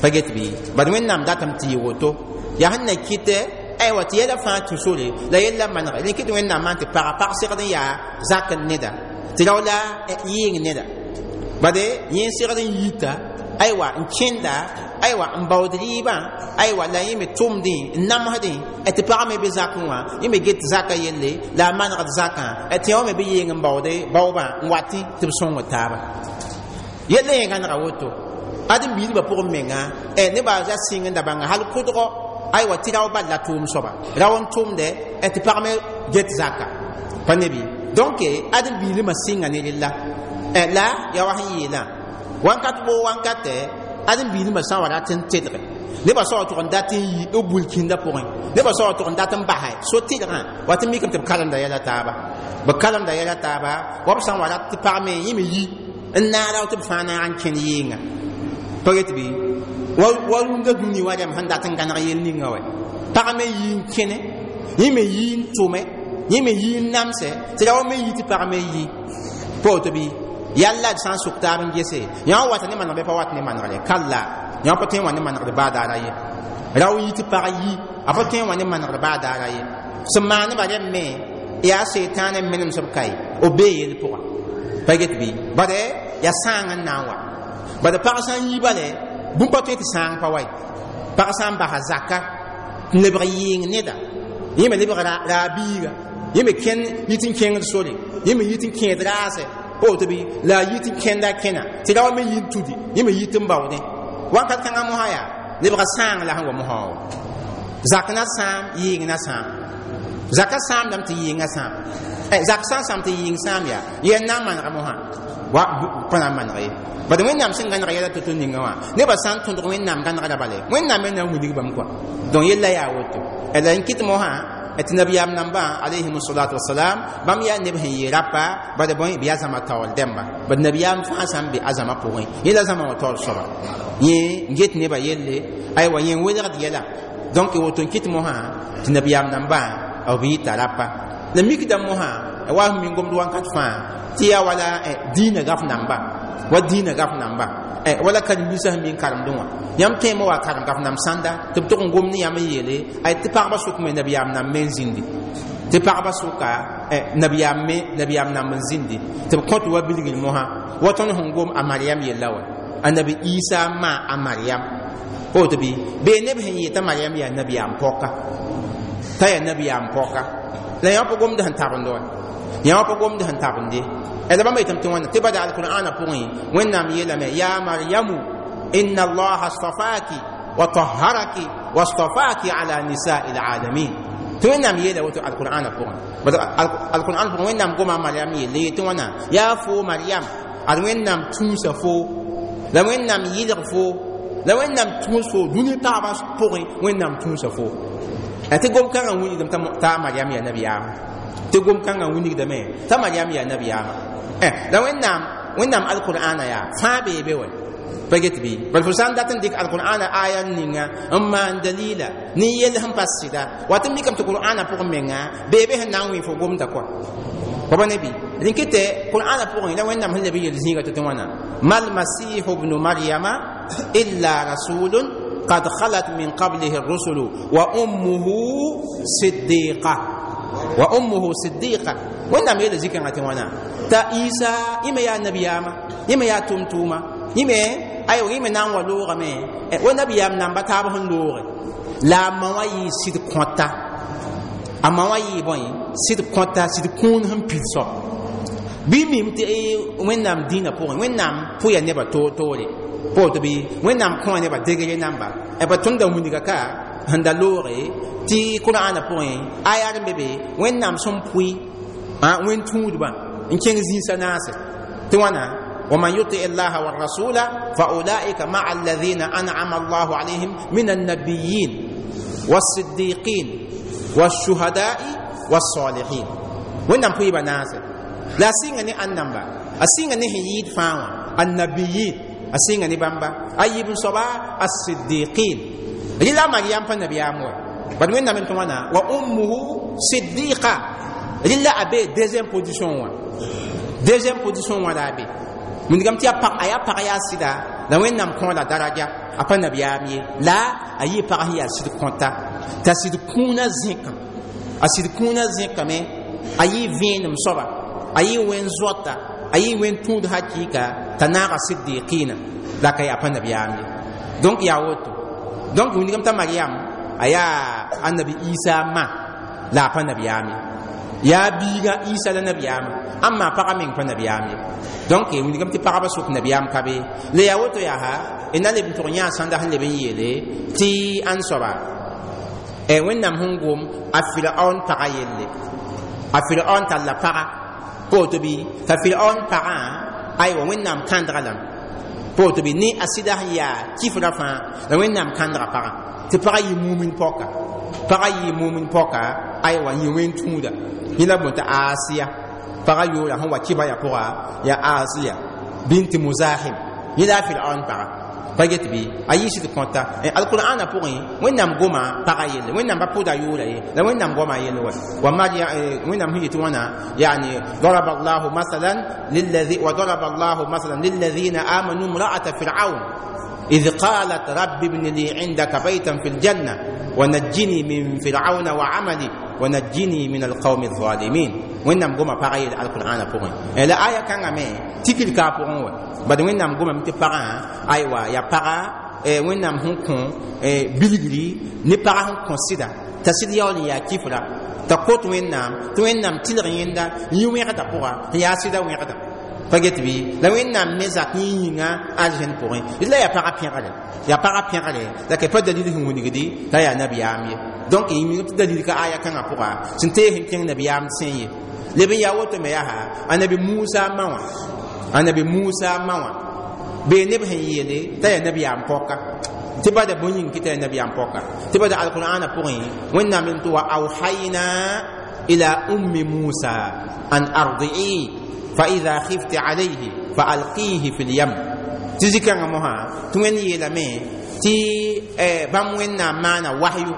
pa get bɩ. Bad Wẽnnaam datame tɩ yɩ woto yaa sẽn na kɩtɛ aywa tɩ yɛla fãa tũ sore la yella manege rẽ kɩ tɩ Wẽnnaam maan tɩ paga, pag segd n yaa zak n neda tɩ rao la yɩɩng neda. Bade yẽ segd n yita aywa n kẽnda aywa n baood rɩɩbã aywa la yẽ me tʋmdẽ n namsdẽ tɩ pagã me be zakẽ wã, yẽ me get zakã yelle la a manegd zakã tɩ yã wã me be yeng n baoode baoobã n watẽ tɩ b sõngd taaba. Yella yẽ gãnega woto ãdem-biisbã pʋgẽ menga nebã ra sɩng n da bãnga hal kʋdgɔ aywa tɩ rao bal la tʋʋm soaba, rao n tʋmdɛ tɩ pag me get zaka pa ne bɩ. Donc ãdem-biilmã sɩnga ne rella la yaa wa sẽn yeelã wãnkat woo wankatɛ ãdem-biilmã sã n wa rat n tedge nebã soab tʋg n dat n yi b bul kĩndã pʋgẽ, nebã soab tʋg n dat n basɛ so tɩlgã wa tɩ mikame tɩ b karemda yɛla taaba, b karemda yɛla taaba wa b sã n wa rat tɩ pag me yẽ me yi n naara tɩ b fãa naag n kẽnd yɩɩnga pa get bɩ. Wa rũndã dũni wa rɛm sẽn dat n gãneg yel ninga wɛ pag me yi n kẽne, yẽ me yi n tʋme, yẽ me yi n namsɛ tɩ ra wa me yi tɩ pag me yi pa woto bɩ. Yalla d sã n sʋk taab n gese yã wa wata ne manegre pa wat ne manegre kalla yã pa tõe n wa ne manegre baa daara ye. Rao yi tɩ pag yi a pa tõe n wa ne manegre baa daara ye. Sẽn maaneba rɛm me yaa seetãan n menems b kae b bee yel pʋga pa get bɩ. Bade yaa sãang n na n wa bad pag sã n yi bale bũmb pa tõe tɩ sãang pa wa ye. Pag sã n basa zaka n lebg yɩɩng neda, yẽ me lebg raabiiga, yẽ me kẽnd yit n kẽngd sore, yẽ me yit n kẽed raasɛ pa woto bɩ, la a yit n kẽnda kẽna tɩ ra wa me yi n tudi, yẽ me yit n baoodẽ wãnkat kãngã mosã yaa lebga sãang la sẽn wa mosã wa zak na sãam yɩɩng na sãam zaka sãamdame tɩ yɩɩngã sãam zak sã n sãam tɩ yɩɩng sãam yaa yɛn na n manega mosã wa pa na n maneg ye. Bad Wẽnnaam sẽn gãneg yɛla to-to ninga wã nebã sã n tõdg Wẽnnaam gãnegra bale Wẽnnaam me na n wilg bãmb kɔa. Donc yella yaa woto la n kɩt mosã tɩ nabiyaam nambã alayhim salatu wasalam bãmb yaa neb sẽn yɩ rapa bad bõe b yaa zãma taoor dẽmba bad nabiyaam fãa sã n be a zãma pʋgẽ yẽ la zãma wã taoor soaba yẽ n get nebã yelle aywa yẽ n welgd yɛla. Donc woto n kɩt mosã tɩ nabiyaam nambã b yɩta rapa la mikdame mosã wa sẽn min gomd wãnkat fãa tɩ yaa wala dĩinã gaf namba wa dĩinã gaf namba wala karen-biisã sẽn min karemdẽ wã yãmb tõeme wa karem gaf nam sãnda tɩ b tʋg n gom ne yãmb n yeele ay tɩ pagba sʋk me nabiyaam nam me n zĩndi tɩ pagba sʋka nabiyaam me nabiyaam namb n zĩndi tɩ b kõt wa bilgr mosã wa tõnd sẽn gom a Mariam yella wa annabi Isa ma a Mariam pa woto bɩ bee neb sẽn yɩɩ t'a Mariam yaa nabiyaam pɔka t'a yaa nabiyaam pɔka la yã pa gomd sẽn tabend wa yã pa gomd sẽn tabende la bãmba yetame tɩ wãna tɩ bada alqur'ana pʋgẽ Wẽnnaam yeelame ya Maryamu inna allaha astafaki wa taharaki wastafaki ala nisai alalamin tɩ Wẽnnaam yeela woto alqur'ana pʋgẽ. Bad alqur'an pʋgẽ Wẽnnaam goma Mariam yelle yetɩ wãna yaa fo Mariam ad Wẽnnaam tũusa fo la Wẽnnaam yɩlg fo la Wẽnnaam tũus fo dũni pagbã pʋgẽ Wẽnnaam tũusa fo tɩ gom kãngã wilgdame t'a Mariam yaa nabiyaama tɩ gom kãngã wilgdame t'a Mariam yaa nabiyaama la Wẽnnaam alqur'ana yaa fãa bee be wɛ pa get bɩ. Bal fo sã n dat n dɩk alqur'ana aya ninga n maan dalila ne yell sẽn pa sɩda wa tɩ mikame tɩ qur'ana pʋgẽ menga bee be sẽn na n wẽ fo gomda kɔa pa ne bɩ rẽn kɩtɛ qur'ana pʋgẽ la Wẽnnaam sẽn leb n yel zĩiga tɩ wãna mal masihu bnu maryama illa rasulun قد خلت من قبله الرسل وأمه صديقة وأمه صديقة وإنما يلا ذكر وانا تا إيسا إما يا نبي ياما إما يا تمتوما Yĩme aywa yẽ me na n wa loogame wa nabiyaam namba taab sẽn looge la a ma wã yɩɩ sɩd kõta a ma wã yɩɩ bõe sɩd kõta sɩd kũun sẽn pid soab bɩ mim tɩ Wẽnnaam dĩinã pʋgẽ Wẽnnaam pʋya nebã toor-toore pa woto bɩ Wẽnnaam kõa nebã degre namba pa tõnd da wilga ka sẽn da looge tɩ Kʋrãanã pʋgẽ aya d n be be Wẽnnaam sẽn pʋɩ wẽn tũudbã n kẽng zĩisã naase tɩ wãna ومن يطع الله والرسول فأولئك مع الذين أنعم الله عليهم من النبيين والصديقين والشهداء والصالحين وين بوي ناس لا سينغ ني أنبا أسينغ ني هيد فاوا النبيين أسينغ ني بامبا أيب صبا الصديقين لا مريم فالنبي أمو بعد وين من توانا وأمه صديقة لا أبي deuxième position wa deuxième position wa la أبي wĩndgame tɩ a yaa pag yaa sɩda la Wẽnnaam kõ la daraja a pa nabiyaam ye la a yɩ pag sẽn yaa sɩd kõta t'a sɩd kũunã zẽkã a sɩd kũunã zẽkame a yɩ vẽenem soaba a yɩ wẽn zoata a yɩ wẽn tũud hakɩɩka t'a naaga siddiqina la ka yaa pa nabiyaam ye donc yaa woto donc wĩndgame t'a Mariam a yaa Annabi Isa ma la a pa nabiyaam ye yaa biiga Isa la nabiyaama amma pagã meng pa nabiyaam ye donc wĩndgame tɩ pagba sʋk nabiyaam ka be la yaa woto yaa ha d na leb n tʋg yã sãnda sẽn leb n yeele tɩ ãn soaba Wẽnnaam sẽn gom a Firaon pagã yelle a Firaon talla paga pa woto bɩ t'a Firaon pagã aywa Wẽnnaam kãndga lame pa woto bɩ ne a sɩda sẽn yaa kifra fãa la Wẽnnaam kãndga pagã tɩ pagã yɩ mumin pɔka pagã yɩ mumin pɔka aywa yɩ wẽn tũuda yẽ la bõe t'a Asiya pagã yoola sẽn wa kɩba ya pʋga yaa Asiya binti Muzahim yẽ la a Firaon pagã pa get bɩ a yɩ sɩd kõta alqur'ana pʋgẽ Wẽnnaam goma pagã yelle Wẽnnaam pa pʋʋda yʋʋra ye la Wẽnnaam goma yelle wa wa Maria Wẽnnaam sẽn yetɩ wãna yani ضرب الله مثلا للذي وضرب الله مثلا للذين آمنوا امرأة فرعون إذ قالت رب ابن لي عندك بيتا في الجنة ونجني من فرعون وعملي ونجني من القوم الظالمين Wẽnnaam goma pagã yelle alqur'ana pʋgẽ la aya kãngã me tikr ka pʋgẽ wa bad Wẽnnaam gomame tɩ pagã aywa yaa paga Wẽnnaam sẽn kõ bilgri ne pagã sẽn kõ sɩda t'a sɩd yaool n yaa kifra t'a kot Wẽnnaam tɩ Wẽnnaam tɩlg yẽnda n yɩ wẽgda pʋga n yaa sɩda wẽgda pa get bɩ la Wẽnnaam me zak yẽ yĩnga arzẽn pʋgẽ la yaa pagã pẽgre yaa pagã pẽgre la ka pa dalil sẽn wilgdi t'a yaa nabiyaam ye donc tɩ dalil ka aya kãngã pʋga sẽn tees n kẽng nabiyaam sẽn ye leb n yaa woto me yaa Annabi Musa ma wã Annabi Musa ma wã bee neb sẽn yeele t'a yaa nabiyaam pɔka tɩ bada bõe yĩng kɩ t'a yaa nabiyaam pɔka tɩ bada alqur'ana pʋgẽ Wẽnnaam n tɩ wa awhayna ila ummi Musa an ardi'i fa idha khifti alayhi fa alqihi fi lyam tɩ zikãngã mosã tɩ Wẽnd yeelame tɩ bãmb Wẽnnaam maana wahyu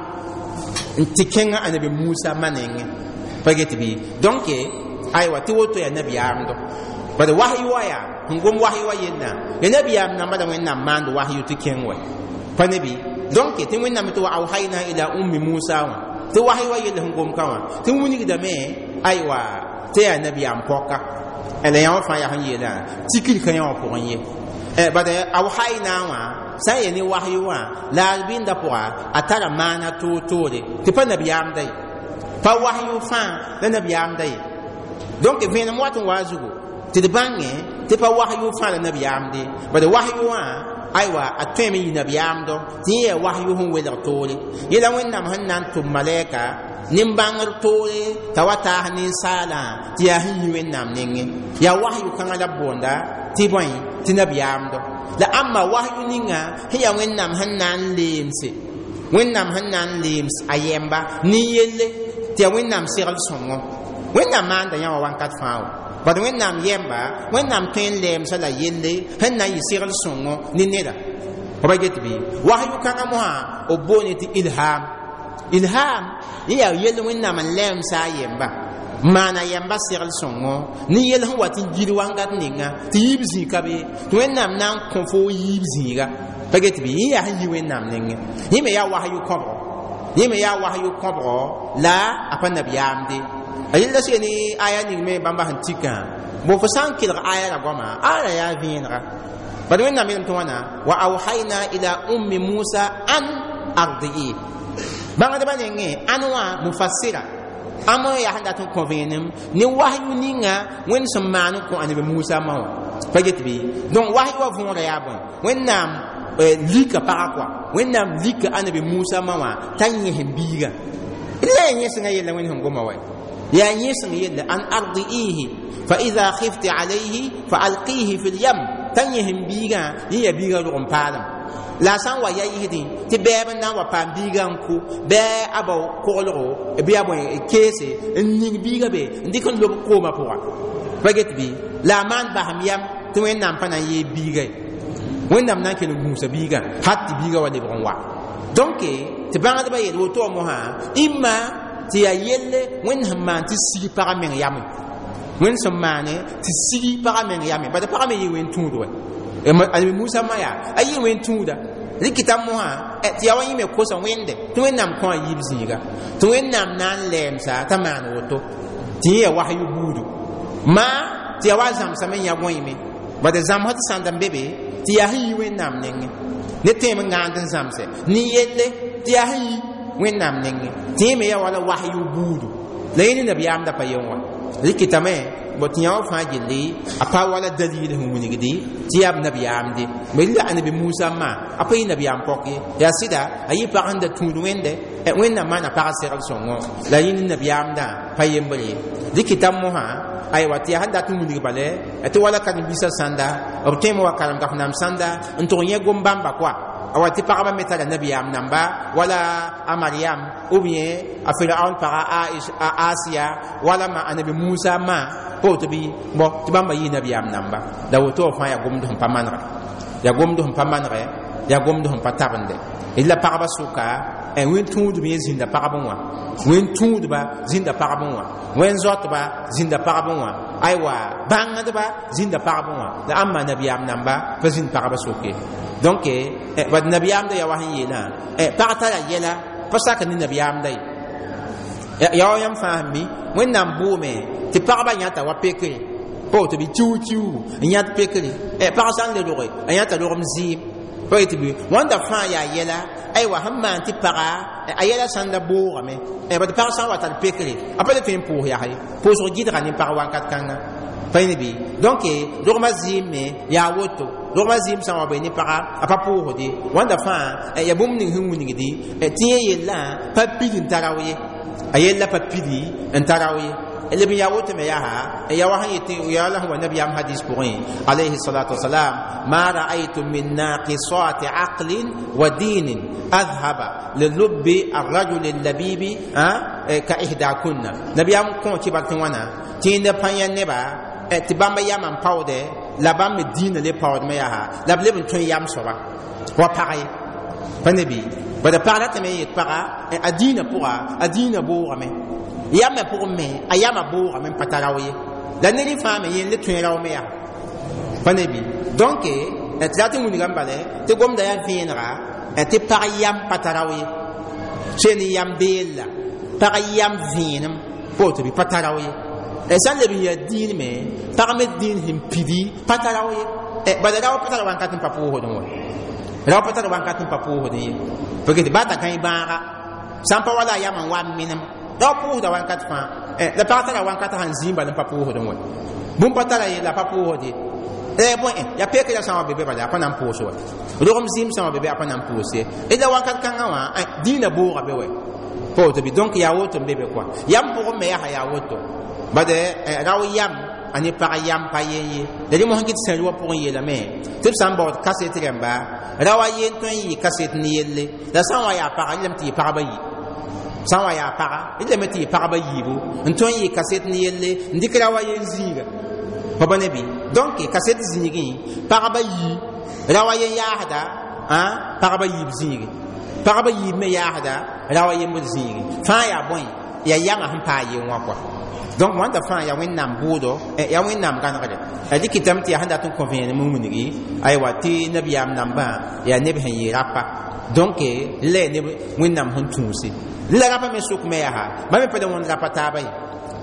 n tɩ kẽngã Annabi Musa ma nengẽ pa get bɩ donc aywa tɩ woto yaa nabiyaamdo bad wahyu wa yaa sẽn gom wahyu wa yella ya nabiyaam namba la Wẽnnaam maand wahyu tɩ kẽng wa pa ne bɩ donc tɩ Wẽnnaam tɩ wa awhayna ila ummi Musa wã tɩ wahyu wa yella sẽn gom ka wã tɩ wilgdame aywa tɩ yaa nabiyaam pɔka la yã wã fãa yaa sẽn yeelã tikr ka yã wã pʋgẽ ye bad awhayna wã sã n ye ne wahyu wã la a bɩnda pʋga a tara maana toor-toore tɩ pa nabiyaamda ye pa wahyu fãa la nabiyaamda ye donc vẽenem wat n waa zugu tɩ d bãngẽ tɩ pa wahyu fãa la nabiyaamde bad wahyu wã aywa a tõeme yɩ nabiyaamdo tɩ yẽ yaa wahyu sẽn welg toore yẽla Wẽnnaam sẽn na n tʋm malɛka nin-bãngr toore t'a wa taas ninsaalã tɩ yaa sẽn yi Wẽnnaam nengẽ yaa wahyu kãngã la b boonda tɩ bõe tɩ nabiyaamdo la ãmba wahyu ninga sẽn yaa Wẽnnaam sẽn na n leemse Wẽnnaam sẽn na n leems a yɛmba nin-yelle tɩ yaa Wẽnnaam segl sõngo Wẽnnaam maanda yã wã wãnkat fãa wa bad Wẽnnaam yɛmba Wẽnnaam tõe n lɛɛmsa la yelle sẽn na n yɩ segl sõngo ne neda fa get bɩ wahyu kãngã mosã b boone tɩ ilham ilham yẽ yaa yell Wẽnnaam n lɛɛmsa a yɛmba maana yɛmba segl sõngo ne yell sẽn wat n gil wangat ninga tɩ yiib zĩig ka be tɩ Wẽnnaam na n kõ fo yiib zĩiga pa get bɩ yẽ yaa sẽn yi Wẽnnaam nengẽ yẽ me yaa wahyu kõbgo yẽ me yaa wahyu kõbgo la a pa nabiyaamde a yella sɩ ne aya ning me bãmba sẽn tikã bo fo sã n kelg aya ra goama ara yaa vẽenega Bad Wẽnnaam yeelame tɩ wãna wa awhayna ila ummi Musa an ardi'i. Bãngdbã nengẽ ãn wã mufassira ãmb n yaa sẽn dat n kõ vẽenem ne wahyu ninga Wẽnd sẽn maan n kõ Anabi Musa ma wã pa get bɩ. Donc wahyu wã võora yaa bõe? Wẽnnaam lika pagã kɔa, Wẽnnaam lika Anabi Musa ma wã t'a yẽsem biigã. La yaa yẽsengã yella Wẽnd sẽn goma wa, yaa yẽseng yella an ardi'ihi fa idha khifti alayhi fa alqihi fi lyam, t'a yẽsem biigã, yẽ yaa biigã rog n paalem. La a sã n wa ya yɩsdẽ tɩ bɛɛb n na n wa paam biigã n kʋ bɩ a bao koglgo bɩ a bõe keese n ning biigã be n dɩk n lob koomã pʋga pa get bɩ. La a maan basem yam tɩ Wẽnnaam pa na n yee biiga ye, Wẽnnaam na n kell n gũusa biigã hat tɩ biigã wa lebg n wa. Donc tɩ bãngdbã yeel woto wã mosã ĩmma tɩ yaa yelle Wẽnd sẽn maan tɩ sig pagã meng yame, Wẽnd sẽn maane tɩ sig pagã meng yame, bala pagã me yɩ wẽn tũud wa. Anabi Musa ma yaa a yɩ wẽn tũuda rɩkɩta mosã tɩ yaa wa yẽ me kosa Wẽnde tɩ Wẽnnaam kõ a yiib zĩiga tɩ Wẽnnaam na n lɛɛmsa t'a maan woto tɩ yẽ yaa wahyu buudu maa tɩ yaa wa zãmsame n yã gõeme bad zãmsd sãnd n be be tɩ yaa sẽn yi Wẽnnaam nengẽ ne tẽem n gãand n zãmse ne yelle tɩ yaa sẽn yi Wẽnnaam nengẽ tɩ yẽ me yaa wala wahyu buudu la yẽ ne nabiyaamda pa yen wã rɩkɩtame bõ tɩ yã wã fãa gilli a pa wala dalil sẽn wilgdi tɩ yaa b nabiyaamde me la Anabi Musa ma a pa yɩ nabiyaam pɔk ye. Yaa sɩda a yɩ pag sẽn da tũud Wẽnde, Wẽnnaam maana pag segl sõngo la yẽ ne nabiyaamdã pa yembre ye. Rɩkɩta mosã aywa tɩ yaa sẽn dat n wilg bale tɩ wala karen-biisã sãnda b tõeme wa karem gaf-nam sãnda n tʋg yẽ gom-bãmba koa awa tɩ pagba me tara nabiyaam namba wala a Mariam ou bien a Firaun paga a Asiya wala ma Anabi Musa ma pa woto bɩ bõ tɩ bãmba yɩ nabiyaam namba la woto wã fãa yaa gomd sẽn pa manegre, yaa gomd sẽn pa manegɛ, yaa gomd sẽn pa tabende. La pagba sʋka wẽn tũudb yẽ zĩnda pagb wã, wẽn tũudba zĩnda pagb wã, wẽn zoatba zĩnda pagb wã, aywa bãngdba zĩnda pagb wã, la ãmba nabiyaam namba pa zĩnd pagba soke. Donc bad nabiyaamda yaa wa sẽn yeelã pag tara yɛla pa sak ne nabiyaamda ye. Yaa wa yãmb fãa sẽn mi Wẽnnaam bʋʋme tɩ pagba yãta wa pekre pa woto bɩ kiu-kiu n yãt pekre. Pag sã n le roge a yãta rogem zɩɩm pa yetɩ bɩ wãnda fãa yaa yɛla aywa sẽn maan tɩ paga a yɛla sãn da boogame bad pag sã n wa tar pekre a pa le tõe n pʋʋs yaa ye, pʋʋsg gɩdga ne pag wakat kãnga pa yẽ bɩ. Donc rogmã zɩɩm me yaa woto, rogmã zɩɩm sã n wa bee ne paga a pa pʋʋsde wãnda fãa yaa bũmb ning sẽn wilgdi tɩ yẽ yellã pa pid n ta rao ye, a yella pa pidi n ta rao ye. Leb n yaa woto me yaa yaa wa sẽn yetɩ yaa la sẽn wa nabiyaam hadis pʋgẽ alayhi salatu wasalam ma ra'aytu min naqisati aqlin wa dinin adhaba lilubbi arrajul allabibi ka ihdakunna. Nabiyaam kõ kibar tɩ wãna tɩ yẽnda pã yã neba tɩ bãmba yamã n paoodɛ la bãmb me diinã le paoodmẽ yaa la b leb n tõe yam soaba wa pag ye pa ne bɩ. Bada pag ratame n yet paga a diinã pʋga a diinã boogame yamã pʋgẽ me a yamã boogame n pa ta rao ye, la ned fãa me yẽ le tõe rao me yaa pa ne bɩ. Donc tɩ rat n wilgame bale tɩ gomda yaa vẽenega tɩ pag yam pa ta rao ye, soe ne yam beella pag yam vẽenem pa woto bɩ pa ta rao ye. Sã n leb n yaa diin me pag me diin sẽn pidi pa ta rao ye, bala rao pa tara wãnkat n pa pʋʋsdẽ wa, rao pa tara wãnkat n pa pʋʋsdẽ ye parce tɩ bata kãe bãaga sã n pa wala a yamã n wa n menem rao pʋʋsda wãnkat fãa. La pag tara wãnkat sãn zĩig bala n pa pʋʋsdẽ wa, bũmb pa tara ye la pa pʋʋsd ye. Bõe yaa pekra sã n wa be be bala a pa na n pʋʋs wa, rogem zĩim sã n wa be be a pa na n pʋʋs ye, la wãnkat kãngã wã diinã booga be wa pa woto bɩ. Donc yaa woto n be be kɔa yam pʋgẽ me yaa yaa woto bad rao yam a ne pag yam pa yen ye. La rẽ mosã kɩ tɩ sẽn wã pʋgẽ yeelame tɩ b sã n baood kaset rẽmba ra wa yen tõe n yɩ kaset ne yelle la sã n wa yaa paga rẽlame tɩ yɩ pagba yi, sã n wa yaa paga rẽlame tɩ yɩ pagba yiibu n tõe n yɩ kaset ne yelle n dɩk ra wa yen zĩiga pa ba ne bɩ. Donc kaset zĩigẽ pagba yi ra wa yen yaasda pagba yiib zĩigi, pagba yiib me yaasda ra wa yembd zĩigi fãa yaa bõe yaa yamã sẽn paa yen wã kɔa. Donc wãnda fãa yaa Wẽnnaam bʋʋdo, yaa Wẽnnaam gãnegre dɩkɩtame tɩ yaa sẽn dat n kõ vẽenem n wilgi aywa tɩ nabiyaam nambã yaa neb sẽn yɩ rapa. Donc la yaa neb Wẽnnaam sẽn tũusi la rapa me sʋk me yaa bãmb me pa le wõnd rapa taaba ye,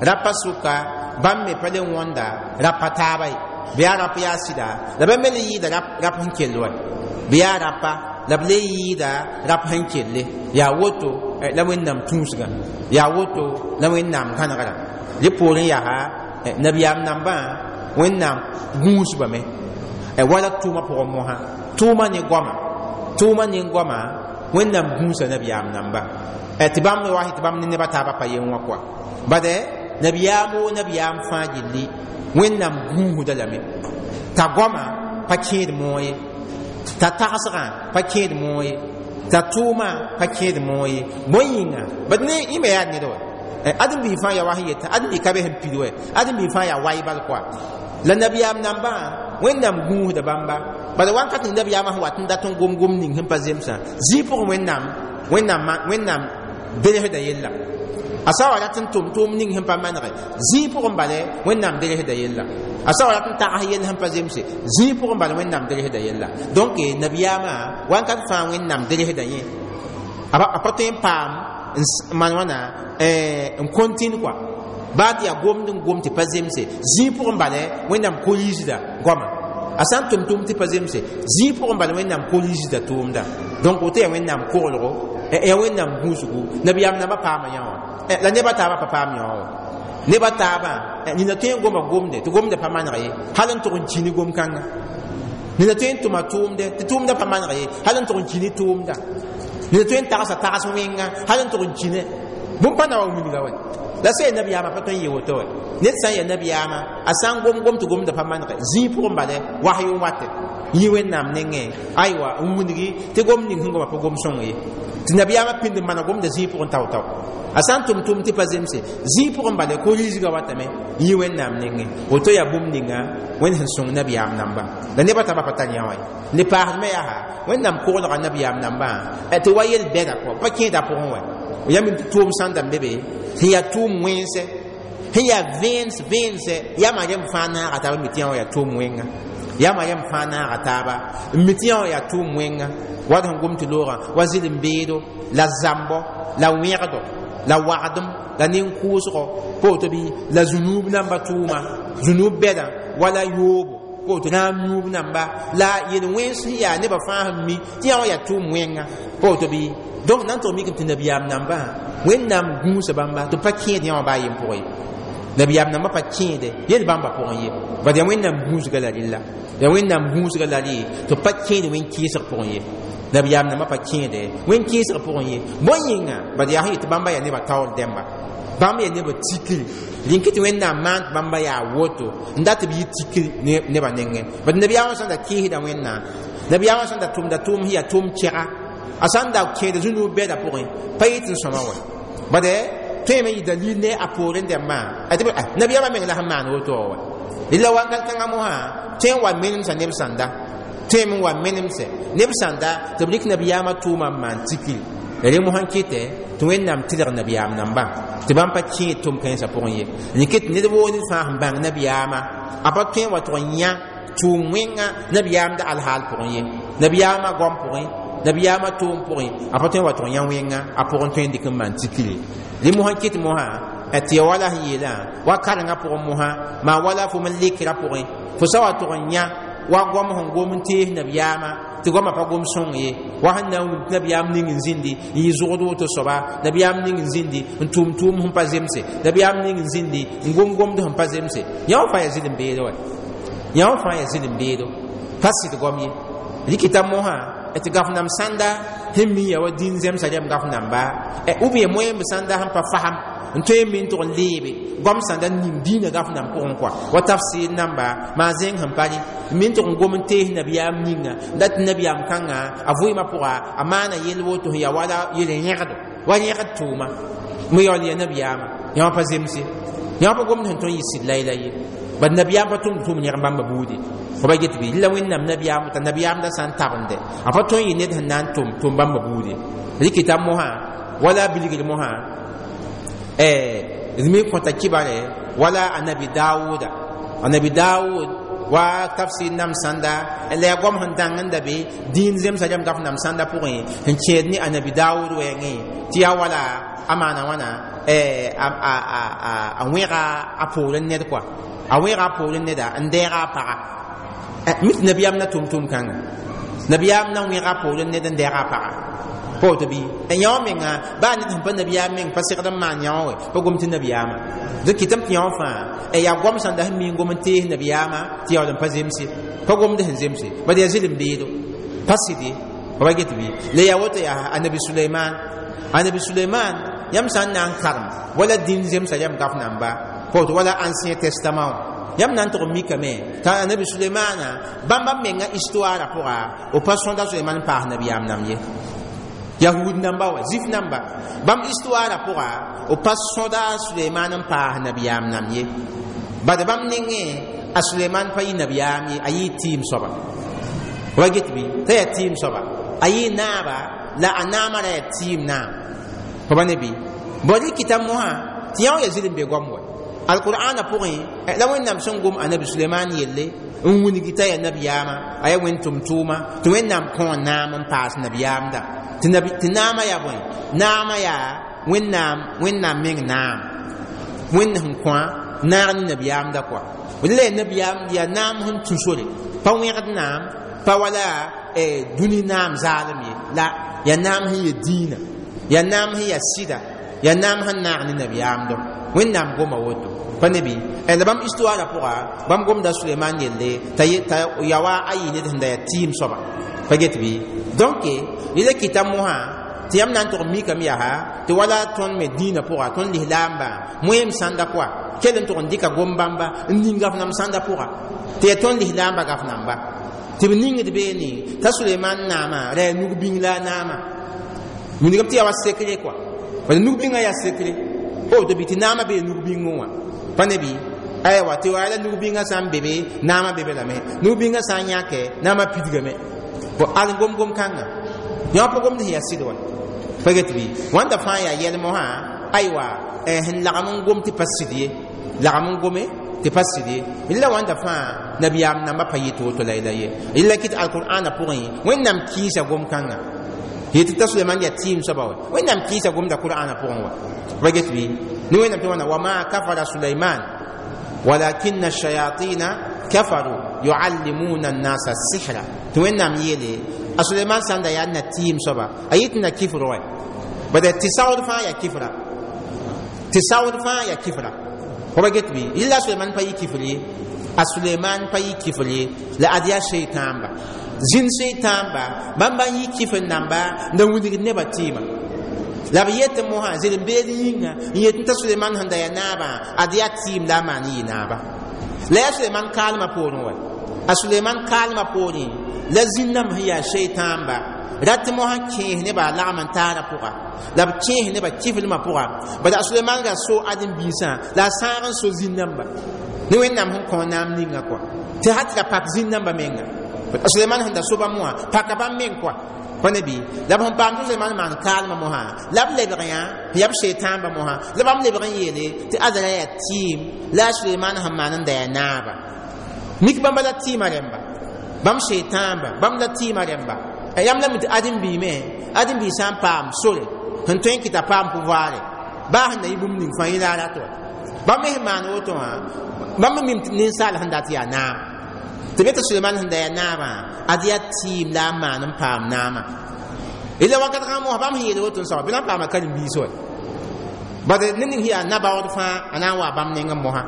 rapa sʋka bãmb me pa le wõnda rapa taaba ye. Bɩ yaa rap yaa sɩda la bãmb me le yɩɩda rap sẽn kell wa bɩ yaa rapa la b le yɩɩda rap sẽn kelle yaa woto la Wẽnnaam tũusgã yaa woto la Wẽnnaam gãnegrã rẽ poorẽ yaa nabiyaam nambã Wẽnnaam gũusbame wala tʋʋmã pʋgẽ mosã tʋʋmã ne goama tʋʋmã ne goama Wẽnnaam gũusa nabiyaam namba tɩ bãmb wa tɩ bãmb ne neba taabã pa yen wã kɔa bade nabiyaam woo nabiyaam fãa gilli Wẽnnaam gũusda lame t'a goama pa kẽed moog ye t'a tagsgã pa kẽed moog ye t'a tʋʋmã pa kẽed moog ye bõe yĩnga bad ne yẽme yaa ned wa ãdem-biig fãa yaa wa sẽn yetã ãdem-biig ka be sẽn pid wɛ ãdem-biig fãa yaa waybal kɔa la nabiyaam nambã Wẽnnaam gũusda bãmba bala wãnkat ning nabiyaamã sẽn wat n dat n gom-gom ning sẽn pa zemsã zĩig pʋgẽ Wẽnnaam Wẽnnaam Wẽnnaam delsda yella a sã wa rat n tʋm tʋʋm ning sẽn pa manege zĩig pʋgẽ bala Wẽnnaam delsda yella a sã wa rat n tags yell sẽn pa zemse zĩig pʋgẽ bala Wẽnnaam delsda yella donc nabiyaamã wãnkat fãa Wẽnnaam delsda yẽ a pa tõe n paam n maan wãna n contine kɔa baa tɩ yaa gomd n gom tɩ pa zemse zĩig pʋgẽ bala Wẽnnaam korisda goama a sã n tʋm tʋʋm tɩ pa zemse zĩig pʋgẽ bala Wẽnnaam korisda tʋʋmda donc woto yaa Wẽnnaam koglgo yaa Wẽnnaam gũusgu nabiyaam nambã paama yã wã la neba taabã pa paam yã wã neba taabã nina tõe n goma gomde tɩ gomda pa maneg ye hal n tʋg n ki ne gom-kãnga nina tõe n tʋma tʋʋmde tɩ tʋʋmda pa maneg ye hal n tʋg n ki ne tʋʋmda nina tõe n tagsa tags wẽnga hal n tʋg n ki ne bũmb pa na wa wilga wɛ la sã ya nabiyaamã pa tõe n yee woto wɛ ned sã n ya nabiyaamã a sã n gom gom tɩ gomda pa manege zĩig pʋgẽ bala wasy n wate yĩ Wẽnnaam nengẽ aywa n wilgi tɩ gom ning sẽn goma pa gom sõng ye tɩ nabiyaamã pĩnd n mana gomda zĩig pʋgẽ tao-tao a sã n tʋm tʋʋm tɩ pa zemse zĩig pʋgẽ bala ko-riisga watame yĩ Wẽnnaam nengẽ woto yaa bũmb ninga Wẽnd sẽn sõng nabiyaam nambã la nebã taabã pa tar yã wã ye le paasdmẽ yaa Wẽnnaam koglga nabiyaam nambã tɩ wa yel-bɛda kɔ pa kẽeda pʋgẽ wɛ yãmb tɩ tʋʋm sãn da n be be sẽn yaa tʋʋm wẽnse sẽn yaa vẽens vẽense yama rem fãa naaga taaba n mi tɩ yã wã yaa tʋʋm wẽnga yama rem fãa naaga taaba n mi tɩ yã wã yaa tʋʋm wẽnga wa d sẽn gom tɩ loogã wa zɩlem-beedo la zãmbɔ la wẽgdo la wagdem la nin-kʋʋsgɔ pa woto bɩ la zũnuub namba tʋʋma zũnuub bɛdã wala yoobo pa woto raam yũub namba la yel-wẽns sẽn yaa nebã fãa sẽn mi tɩ yã wã yaa tʋʋm wẽnga pa woto bɩ donc nan tɩ mikame tɩ nabiyaam nambã Wẽnnaam gũusa bãmba tɩ pa kẽed yã wã baa yem pʋgẽ ye nabiyaam nambã pa kẽede yel bãmba pʋgẽ ye bad yaa Wẽnnaam gũusga la rella yaa Wẽnnaam gũusga la rɩ tɩ pa kẽed wẽn-kɩɩsg pʋgẽ ye nabiyaam nambã pa kẽede wẽn-kɩɩsg pʋgẽ ye bõe yĩnga bad yaa sẽn yet tɩ bãmba yaa nebã taoor dẽmba bãmb yaa nebã tikri rĩnk tɩ Wẽnnaam maan tɩ bãmba yaa woto n dat tɩ b yɩ tikri nebã nengẽ bad nabiyaamã sẽn da kɩɩsda Wẽnnaam nabiyaamã sẽn da tʋmda tʋʋm sẽn yaa tʋʋm kɛga a sãn da kẽeda zũnuub bɛda pʋgẽ pa yɩ tɩ n sõma wɛ bade tõeme yɩ dalil ne a poorẽ dẽmbã nabiyaamã meng la sẽn maan woto wã wɛ rɩla wãngat kãngã mosã tõe n wa menemsa neb sãnda tõeme n wa menemsɛ neb sãnda tɩ b rɩk nabiyaamã tʋʋmã n maan tikri rẽ mosã n kɩtɛ tɩ Wẽnnaam tɩlg nabiyaam nambã tɩ bãmb pa kẽed tʋm-kãensã pʋgẽ ye rɩk tɩ ned woo ned fãa sẽn bãng nabiyaamã a pa tõe n wa tʋg n yã tʋʋm wẽnga nabiyaamda alhaal pʋgẽ ye nabiyaamã goam pʋgẽ nabiyaamã tʋʋm pʋgẽ a pa tõe n wa tʋg n yã wẽnga a pʋgẽ tõe n dɩk n maan tikri rẽ mosã n kɩt mosã tɩ ya wala sẽn yeelã wa karengã pʋgẽ mosã maa wala fo m lekrã pʋgẽ fo sã wa tʋg n yã wa goam sẽn gom n tees nabiyaamã tɩ goamã pa gom sõng ye wa sẽn na n wilg tɩ nabiyaam ning n zĩndi n yɩ zʋgd woto soaba nabiyaam ning n zĩndi n tʋʋm tʋʋm sẽn pa zemse nabiyaam ning n zĩndi n gom gomd sẽn pa zemse yã wã fãa yaa zɩlem-beedo wɛ yã wã fãa yaa zɩlem-beedo pa sɩd goam ye rɩkɩta mosã tɩ gaf nam sãnda sẽn mi ya wa dĩn zemsa rɛm gaf namba ou bien moẽmb sãnda sẽn pa fasem n tõe n mi n tʋg n leebe goam sãnda n ning dĩinã gaf nam pʋgẽ kɔa wa tafsir namba maa zẽng sẽn pa rẽ mi n tʋg n gom n tees nabiyaam ninga n dat tɩ nabiyaam kãngã a vʋɩɩmã pʋga a maana yell woto sẽn yaa wala yel-yẽgdo wa yẽgd tʋʋma me yaool ya nabiyaamã yã wã pa zemse yã wã pa gomd sẽn tõe n yɩ sɩd la-y-la ye bad nabiyaam pa tʋmd tʋʋm yẽg bãmba buudi fo ba get bɩ la Wẽnnaam nabiyaam t'a nabiyaam da sã n tabende a pa tõe n yɩ ned sẽn na n tʋm tʋm bãmba buudi rɩkɩta mosã wala bilgr mosã d me kõta kibare wala anabi Dawuda anabi Dawud wa tafsir nam sãnda la yaa goam sẽn dãng n da be dĩin zemsã rẽm gaf nam sãnda pʋgẽ sẽn kẽed ne anabi Dawud wɛɛngẽ tɩ yaa wala a maana wãna a wẽga a poorẽ ned kɔa a wẽga a poorẽ neda n dɛɛga a paga mi tɩ nabiyaam na tʋm-tʋm kãnga nabiyaam na wẽga a poorẽ ned n dɛɛga a paga pa woto bɩ yã wã menga baa ned sẽn pa nabiyaam meng pa segd n maan yã wã we pa gom tɩ nabiyaamã dẽ kɩtame tɩ yã wã fãa yaa goam sãn da sẽn mi n gom n tees nabiyaamã tɩ yaool n pa zemse pa gomd sẽn zemse bad yaa zɩlem beedo pa sɩd ye pa get bɩ la yaa woto yaa anabi Suleiman anabi Suleiman yãmb sã n na n karem wala dĩn zemsa yãmb gaf namba pa woto wala Ancien Testament wã yãmb na n tʋg n mikame t'a anabi Sulemana bãmba menga histoire pʋga b pa sõda Suleiman n paas nabiyaam nam ye yahud namba wa zif namba bãmb histoire pʋga b pa sõda Suleiman n paas nabiyaam nam ye bad bãmb nengẽ a Suleiman pa yɩ nabiyaam ye a yɩ tɩɩm soaba wa get bɩ t'a yaa tɩɩm soaba a yɩ naaba la a naamã ra yaa tɩɩm naam fa ba ne bɩ bõe kɩta mosã tɩ yã wã yaa zɩl n be goam wa alqur'ana pʋgẽ la Wẽnnaam sẽn gom anabi Suleiman yelle n wilgi t'a yaa nabiyaamã a yaa wẽnd tʋm-tʋʋma tɩ Wẽnnaam kõ naam n paas nabiyaamda tɩ naamã yaa bõe naamã yaa Wẽnnaam meng naam Wẽnd sẽn kõa naag ne nabiyaamda kɔa la yaa nabiyaam yaa naam sẽn tũ sore pa wẽgd naam pa wala dũni naam zaalem ye la yaa naam sẽn ya dĩinã yaa naam sẽn yaa sɩda yaa naam sẽn naag ne nabiyaamdɔ Wẽnnaam goma woto pa ne bɩ la bãmb histoire pʋga bãmb gomda Suleiman yelle t'a ya wa a yɩ ned sẽn da yaa tɩɩm soaba pa get bɩ donc rɩla kɩta mosã tɩ yãmb na n tʋg n mikame yaa tɩ wala tõnd me dĩinã pʋga tõnd lislaambã moeem sãnda kɔa kell n tʋg n dɩka gom bãmba n ning gaf nam sãnda pʋga tɩ yaa tõnd lislaambã gaf namba tɩ b ningd beene t'a Suleiman naamã ra yaa nug-bĩng la a naamã wilgame tɩ yaa wa sekre kɔa bala nug-bĩngã yaa sekre woto bɩ tɩ naamã bee nug-bĩngẽ wã pa ne bɩ aywa tɩ wa la nug-bĩngã sã n be be naamã be be lame nug-bĩngã sã n yãke naamã pidgame bõ al gom-gom kãnga yã pa gomd sẽn yaa sɩd wa pa get bɩ wãnda fãa yaa yɛl mosã aywa sẽn lagem n gom tɩ pa sɩd ye lagem n gome tɩ pa sɩd ye la wãnda fãa nabiyaam nambã pa yɩ tɩ woto la la ye la kɩt alqur'ana pʋgẽ Wẽnnaam kɩɩsa gom-kãnga yetɩ t'a Suleiman yaa tɩɩm soaba wa Wẽnnaam kɩɩsa gomda qur'ana pʋgẽ wa pa get bɩ ne Wẽnnaam tɩ wãna wama kafara Suleiman walakinna shayatina kafaru yuallimuna annasa sihra tɩ Wẽnnaam yeele a Suleiman sã n da yaa na tɩɩm soaba a yɩ tɩ na kifr wa bad tɩ saood fãa yaa kifra tɩ saood fãa yaa kifra fo pa get bɩ yɩla Suleiman pa yɩ kifr ye a Suleiman pa yɩ kifr ye la ad yaa seitãamba zĩnd seitãamba bãmb n yɩ kifr namba n da wilgd nebã tɩɩmã la b yetɩ mosã zɩlem-beed yĩnga n yet t'a Suleiman sẽn da yaa naabã ad yaa tɩɩm la a maan n yɩ naaba la yaa Suleiman kaalmã poorẽ wa a Suleiman kaalmã poorẽ la zĩnd-nãmb sẽn yaa seitãamba rat mosã kẽes nebã a lagm n taara pʋga la b kẽes nebã kiflmã pʋga bad a Suleiman ra so ãdem-biisã la a sãag n so zĩnd-nãmba ne Wẽnnaam sẽn kõ naam ninga kɔa tɩ ha tɩ ra pak zĩnd-nãmbã menga a Suleiman sẽn da so bãmb wã paka bãmb meng kɔa pa ne bɩ la b sẽn paam tɩ Suleiman maan kaalmã mosã la b lebg yã yaa b seetãambã mosã la bãmb lebg n yeele tɩ adra yaa tɩɩm la a Suleiman sẽn maan n da yaa naaba mik bãmba la tɩɩmã rẽmba bãmb seetãamba bãmb la tɩɩmã rẽmba yãmb la mi tɩ ãdem-biime ãdem-biig sã n paam sore sẽn tõe n kɩta paam pouvoire baa sẽn na yɩ bũmb ning fãa yẽ la a rat wa bãmb me sẽn maan woto wã bãmb me mim ninsaal sẽn dat yaa naam tɩ be tɩ Suleiman sẽn da yaa naabã ad yaa tɩɩm la a maan n paam naamã la wakat kãng mosã bãmb sẽn yeel woto n soaba bɩ la n paama karen-biis wa bad ned ning sẽn yaa nabaood fãa a na n waa bãmb nengẽ mosã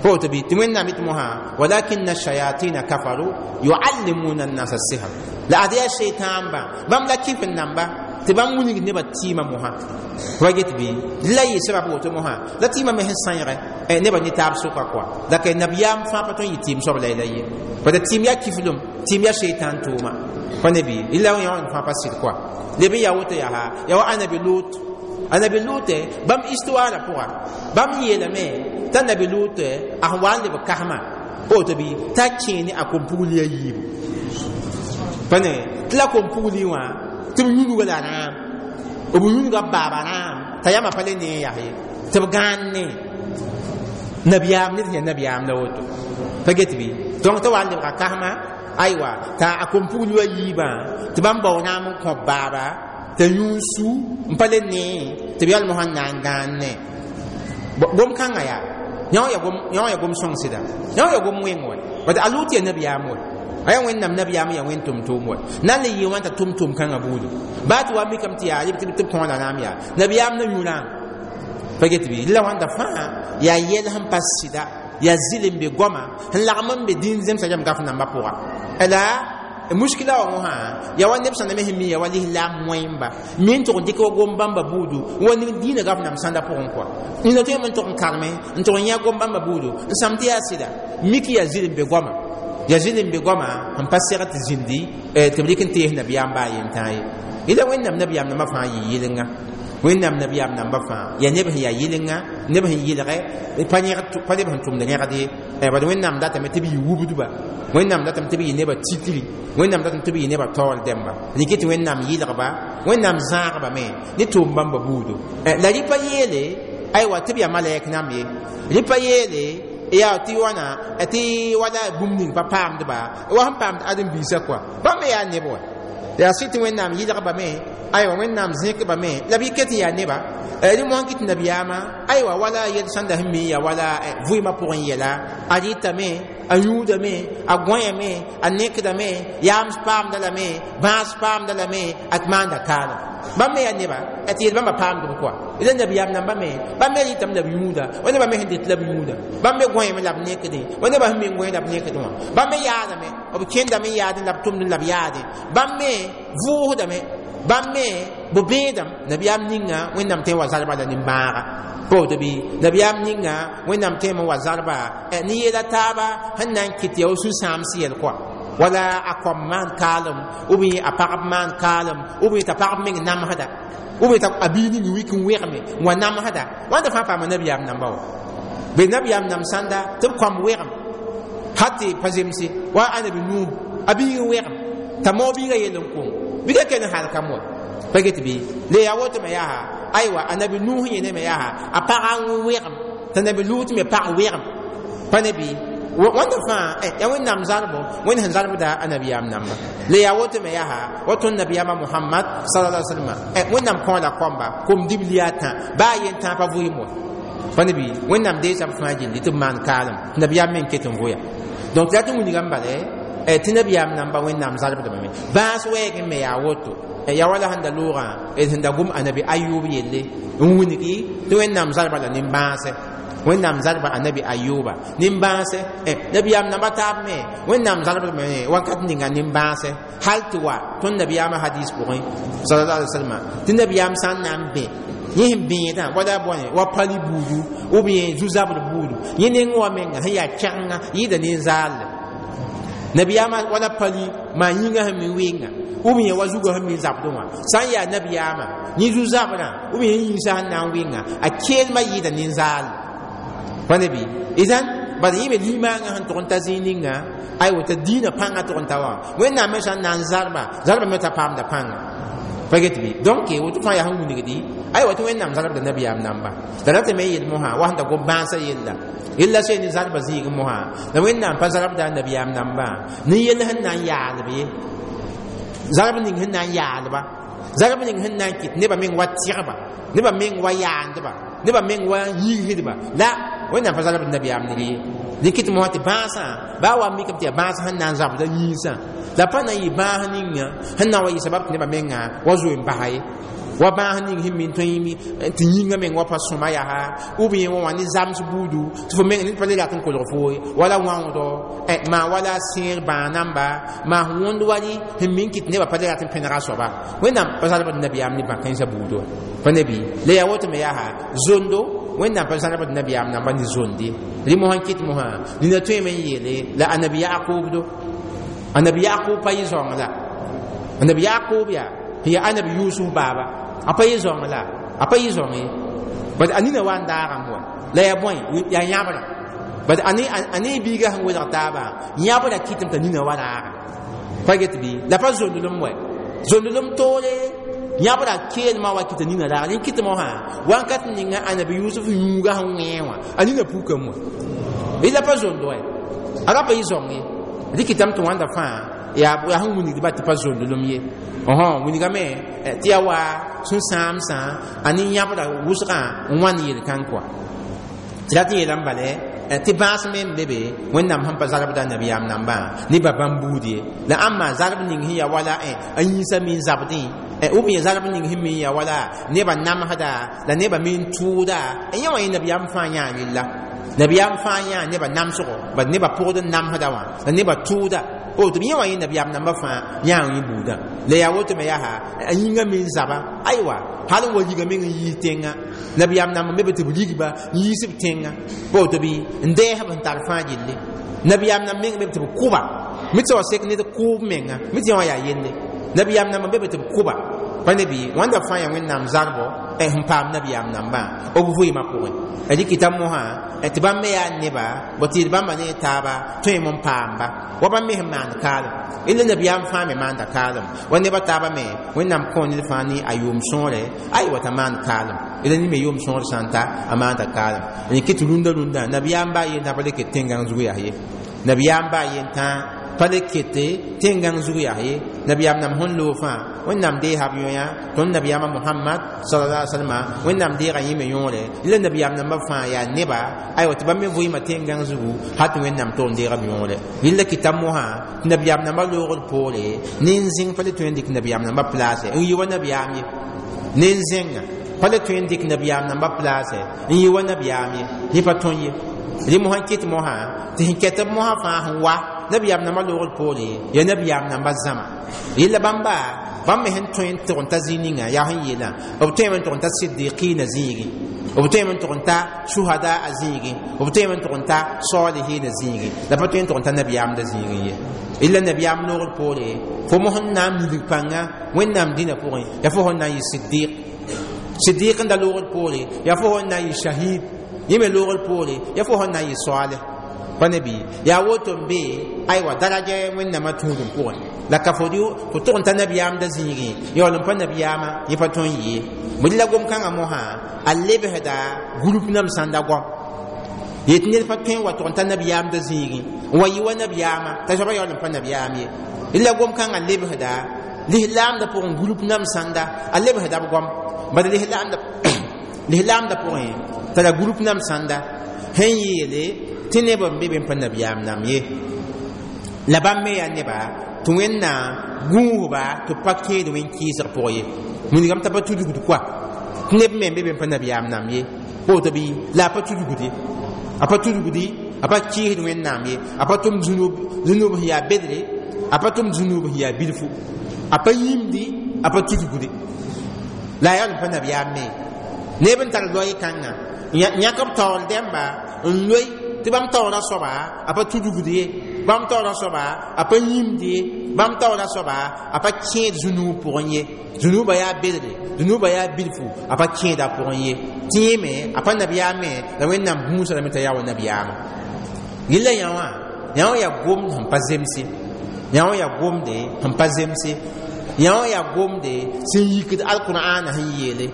pa woto bɩ tɩ Wẽnnaam yetɩ mosã walakinna shayatina kafaru yuallimuna annasa sihr la ad yaa seitãambã bãmb la kifr namba tɩ bãmb wilgd nebã tɩɩmã mosã wa get bɩ la yɩ sabab woto mosã la tɩɩmã me sẽn sãeege nebã ne taab sʋka kɔa la ka nabiyaam fãa pa tõe n yɩ tɩɩm soab la la ye bad tɩɩm yaa kiflem tɩɩm yaa seitãn tʋʋma pa ne bɩ la yã wãnd fãa pa sɩd kɔa leb n yaa woto yaa yaa wa anabi Lut anabi Lut bãmb histoire pʋga bãmb yeelame t'a nabi Lut a sẽn wa n leb kasmã woto bɩ t'a kẽe ne a kom-pugli a yiibu pa ne tɩ la kom-pugli wã tɩ b yũnuga la rãam b yũnuga b baaba rãam t'a yãmã pa le ne n yaa ye tɩ b gãan ne nabiyaam ned sẽn yaa nabiyaam la woto pa get bɩ donc t'a wa n lebga kasmã aywa t'a a kom-pugli wã yiibã tɩ bãmb bao naam n kõ baaba t'a yũud su n pa le ne tɩ b yalmã sẽn na n gãane gom kãngã yaa yã wã ya gom sõng sɩda yã wã ya gom wẽng wɛ bat a Lut ya nabiyaam wɛ a yaa Wẽnnaam nabiyaam ya wẽn tʋm-tʋʋm wɛ na n le yɩɩ wãn t'a tʋm tʋʋm kãngã buudu baa tɩ wa mikame tɩ yaa tɩ b kõo la naam yaa nabiyaam na yũ rãam pa get bɩ la wãnda fãa yaa yɛl sẽn pa sɩda yaa zɩl n be goama sẽn lagm n be dĩin zemsã rãmb gaf nambã pʋga la muskila wa mosã yaa wa neb sẽn na me sẽn mi yaa wa lislaam wẽmba mi n tʋg n dɩk wa gom bãmba buudu wa ning dĩinã gaf nam sãnda pʋgẽ kɔa nina tõeme n tʋg n karme n tʋg n yã gom bãmba buudu n sãm tɩ yaa sɩda mik yaa zɩl n be goama yaa zɩl n be goama sẽn pa seg tɩ zĩndi tɩ b rɩk n tees nabiyaam baa yentãa ye ila Wẽnnaam nabiyaam nambã fãa yɩ yɩlenga Wẽnnaam nabiyaam nambã fãa yaa neb sẽn yaa yɩlenga neb sẽn yɩlgɛ pa neb sẽn tʋmd rẽgd ye bad Wẽnnaam datame tɩ b yɩ wubdba Wẽnnaam datame tɩ b yɩ nebã tikri Wẽnnaam datame tɩ b yɩ nebã taoor dẽmba rɩkɩ tɩ Wẽnnaam yɩlgba Wẽnnaam zãagba me ne tʋʋm bãmba buudu la rɩ pa yeele aywa tɩ b yaa malɛk nam ye rɩ pa yeele yaa tɩ wãna tɩ wala bũmb ning pa paamdba wa sẽn paamd ãdem-biisã kɔa bãmb me yaa neb wa yaa sɩ tɩ Wẽnnaam yɩlgba me aywa Wẽnnaam zẽkba me la b yɩ ket n yaa neba rɩ mosã kɩt nabiyaamã aywa wala yel sãnda sẽn mi ya wala vɩɩmã pʋgẽ yɛla a rɩtame a yũudame a gõyame a nekdame yaams paamda lame bãas paamda lame a maanda kaalem bãmb me yaa neba tɩ yel bãmba paamdb kɔa la nabiyaam namba me bãmb me rɩtame la b yũuda wa nebã me sẽn det la b yũuda bãmb me gõyame la b nekdẽ wa nebã sẽn me n gõe la b nekdẽ wã bãmb me yaadame b kẽndame n yaadẽ la b tʋmdẽ la b yaadẽ bãmb me vʋʋsdame bãmb me b bẽedame nabiyaam ninga Wẽnnaam tõe n wa zalba la nimbãaga pa woto bɩ nabiyaam ninga Wẽnnaam tõeme n wa zalba ne yeela taaba sẽn na n kɩt yaa sũ-sãams yɛl kɔa wala a kõm maan kaalem ou bien a pagb maan kaalem ou bien t'a pagb meng namsda ou bien t'a a biig ning wik n wegme n wa namsda wãnda fãa paama nabiyaam namba wa be nabiyaam nam sãnda tɩ b kõm wegem hal tɩ pa zemse wa anabi Nuh a biig n wegem t'a maoog biigã yell n kong bɩ ka kell n halkam wa pa get bɩ le yaa woto me yaa aywa anabi Nuh yẽne me yaa a pagã n wegem t'a nabi Lut me pag wegem pa ne bɩ wãnda fãa yaa Wẽnnaam zalbo Wẽnd sẽn zalbda a nabiyaam namba le yaa woto me yaa wa tõnd nabiyaamã Mohamad sallallahu alaihi wasallam Wẽnnaam kõ la kõmba kom dibli a tã baa yen tã pa vʋɩɩm wa pa ne bɩ Wẽnnaam deesa b fãa gilli tɩ b maan kaalem tɩ nabiyaam me n ket n vʋya donc tɩ la tɩ wilgame bala tɩ nabiyaam namba Wẽnnaam zalbdame me bãas wɛɛgẽ me yaa woto yaa wala sẽn da loogã sẽn da gom anabi Ayub yelle n wilgi tɩ Wẽnnaam zalba la nin-bãasɛ Wẽnnaam zalba anabi Ayuba nin-bãasɛ nabiyaam namba taab me Wẽnnaam zalbdame wakat ninga nin-bãasɛ hal tɩ wa tõnd nabiyaamã hadis pʋgẽ sallallahu alaihi wasallam tɩ nabiyaam sã n na n bẽ yẽ sẽn bẽedã wala bõe wa pali buudu ou bien zu-zabr buudu yẽ neng wa menga sẽn yaa kɛgenga yɩɩda nin-zaalle nabiyaamã wala pali maa yĩngã sẽn mi wɩnga ou bien wa zugã sẽn mi zabdẽ wã sã n yaa nabiyaamã yẽ zu-zabrã ou bien yĩnsã sẽn na n wɩnga a keelmã yɩɩda nin-zaalle pa ne bɩ idan bala yẽ me limaangã sẽn tʋg n ta zĩig ninga aywa t'a diinã pãngã tʋg n ta wã Wẽnnaam me sã n na n zalba zalba me t'a paamda pãnga pa get bɩ donc woto fãa yaa sẽn wilgdi aywa tɩ Wẽnnaam zalbda nabiyaam namba la ratame me yel mosã wa sẽn da gom bãasã yella yella soe ne zalba zĩig mosã la Wẽnnaam pa zalbda nabiyaam nambã ne yell sẽn na n yaalb ye zalb ning sẽn na n yaalba zalb ning sẽn na n kɩt nebã meng wa tɩgba nebã meng wa yaandba nebã meng wa yigsdba la Wẽnnaam pa zalbd nabiyaam ned ye dɩk tɩ mosã tɩ bãasã baa wa mikame tɩ yaa bãas sẽn na n zabda yĩnsã la pa na n yɩ bãas ninga sẽn na n wa yɩ sabab tɩ nebã menga wa zoe n basa ye wa bãas ning sẽn mi n tõe tɩ yĩngã meng wa pa sõma yaa ou bien wa wã ne zams buudu tɩ fo meng ned pa le rat n kolg fo ye wala wãoogdo maa wala sẽer bãag namba maa sẽn wõnd wali sẽn mi n kɩt nebã pa le rat n pẽnega soaba Wẽnnaam pa zalbd nabiyaam ne bã-kãensã buudu wã pa ne bɩ la yaa woto me yaa zondo Wẽnnaam pa zalbd nabiyaam namba ne zonde rɩ mosã n kɩt mosã nina tõeme n yeele la anabi Yakub do anabi Yakub pa yɩ zaoong la anabi Yakub yaa sẽn yaa anabi Yusuf baaba a pa yɩ zaoong la a pa yɩ zaoong ye bad a nina wa n daagame wa la yaa bõe yaa yãbrã bad a ne biigã sẽn welg taabã yãbrã kɩtame t'a nina wa raaga pa get bɩ la pa zondlem wɛ zondlem toore yãbrã keelmã wa kɩta nina raaga rẽ kɩtame wã wãnkat ninga anabi Yusuf yũugã sẽn wẽ wã a nina pukame wã la pa zondo wɛ a ra pa yɩ zaoong ye rɩkɩtame tɩ wãnda fãa Yaa sẽn wilgdba tɩ pa zondlem ye wilgame tɩ yaa wa sũ-sãamsã a nin-yãbra wʋsgã n wãnd yel-kãng kɔa tɩ rat n yeelame bala tɩ bãas me n be be Wẽnnaam sẽn pa zarbda nabiyaam nambã ne ba bãmb buud ye la ãmba zarb ning sẽn yaa wala a yĩnsã me n zabdẽ ou bien zarb ning sẽn me n yaa wala nebã namsda la nebã me n tʋʋda yẽ wã yẽ nabiyaam fãa yãa rella nabiyaam fãa yãa nebã namsgo bad nebã pʋgd n namsda wã la nebã tʋʋda tɩ b yẽ wã yẽ nabiyaam nambã fãa yãa yẽ buudã la yaa woto me yaa a yĩngã me n zaba aywa hal n wa liga meng n yiis tẽnga nabiyaam namba me be tɩ b rigba n yiis b tẽnga pa woto bɩ n dɛɛsb n tar fãa gilli nabiyaam namb meng be tɩ b kʋba mi tɩ wa sek ned kʋʋb menga mi tɩ yã wã yaa yelle nabiyaam namba be tɩ b kʋba pa ne bɩ wãnda fãa yaa Wẽnnaam zarbɔ sẽn paam nabiyaam nambã b vɩɩmã pʋgẽ rɩkɩta mosã tɩ bãmb me yaa neba bõ tɩ yeel bãmba ne taaba tõeme n paamba wa bãmb me sẽn maand kaalem illa nabiyaam fãa me maanda kaalem wa neba taaba me Wẽnnaam kõ ned fãa ne a yʋʋm sõore aywa t'a maand kaalem ila ne me yʋʋm sõor sã n ta a maanda kaalem n kɩ tɩ rũndã rũndã nabiyaam baa yen tã pa le ket tẽngãng zug yaa ye nabiyaam baa yen tã pa le kete tẽngãng zug yaa ye nabiyaam nam sẽn loog fãa Wẽnnaam deesa b yõya tõnd nabiyaamã Mohamad sallallahu alaihi wasallam Wẽnnaam deega yẽ me yõore la nabiyaam nambã fãa yaa neba aywa tɩ bãmb me vɩɩmã tẽngãng zugu hal tɩ Wẽnnaam tog n deega b yõore rɩlla kɩta mosã tɩ nabiyaam nambã loogd poore nin-zẽng pa le tõe n dɩk nabiyaam nambã place n yɩ wa nabiyaam ye nin-zẽnga pa le tõe n dɩk nabiyaam nambã place n yɩ wa nabiyaam ye yẽ pa tõe ye rẽ mosã kɩt mosã tɩ sẽn kɛt b mosã fãa sẽn wa nabiyaam nambã loogd poore yaa nabiyaam nambã zãma yella bãmba bãmb me sẽn tõe n tʋg n ta zĩig ninga yaa sẽn yeelã b tõeme n tʋg n ta sidiqina zĩigi b tõeme n tʋg n ta suhada a zĩigi b tõeme n tʋg n ta salihina zĩigi la pa tõe n tʋg n ta nabiyaamda zĩigi ye illa nabiyaam loogd poore fo mos n na n milg pãnga Wẽnnaam dĩnã pʋgẽ yaa fo sẽn na n yɩ sidiq sidiq n da loogd poore yaa fo sẽn na n yɩ shahid yẽ me loogd poore yaa fo sẽn na n yɩ salih pa ne bɩ yaa woto n be aywa daraja Wẽnnaamã tũudum pʋgẽ la ka fo tʋg n ta nabiyaamda zĩigẽ yaool n pa nabiyaamã yẽ pa tõe n yee bõe la gom-kãngã mosã a lebsda group nam sãnda goam yet ned pa tõe n wa tʋg n ta nabiyaamda zĩigẽ n wa yɩ wa nabiyaamã t'a soaba yaool n pa nabiyaam ye la gom-kãngã lebsda lislaamda pʋgẽ group nam sãnda a lebsda b goam bad lislaamda pʋgẽ tara group nam sãnda sẽn yeele tɩ neb n be be n pa nabiyaam nam ye la bãmb me yaa neba tɩ Wẽnnaam gũusba tɩ b pa kẽed wẽn-kɩɩsg pʋg ye wilgame t'a pa tudgd koa tɩ neb me n be be n pa nabiyaam nam ye pa woto bɩ la a pa tudgde a pa tudgdi a pa kɩɩsd Wẽnnaam ye a pa tʋm zũnub sẽn yaa bedre a pa tʋm zũnub sẽn yaa bilfu a pa yĩmdi a pa tudgde la a yaool n pa nabiyaam me neb n tar loɛɛ kãngã yãk b taoor dẽmba n loe tɩ bãmb taoora soaba a pa tudgd ye bãmb taoora soaba a pa yĩmd ye bãmb taoora soaba a pa kẽed zũnuub pʋgẽ ye zũnuubã yaa bedre zũnuubã yaa bilfu a pa kẽeda pʋgẽ ye tɩ yẽ me a pa nabiyaam me la Wẽnnaam gũusa lame t'a yaa wa nabiyaamã gilla yã wã yã wã yaa gomd sẽn pa zemse yã wã yaa gomde sẽn pa zemse yã wã yaa gomde sẽn yikd alqur'ana sẽn yeele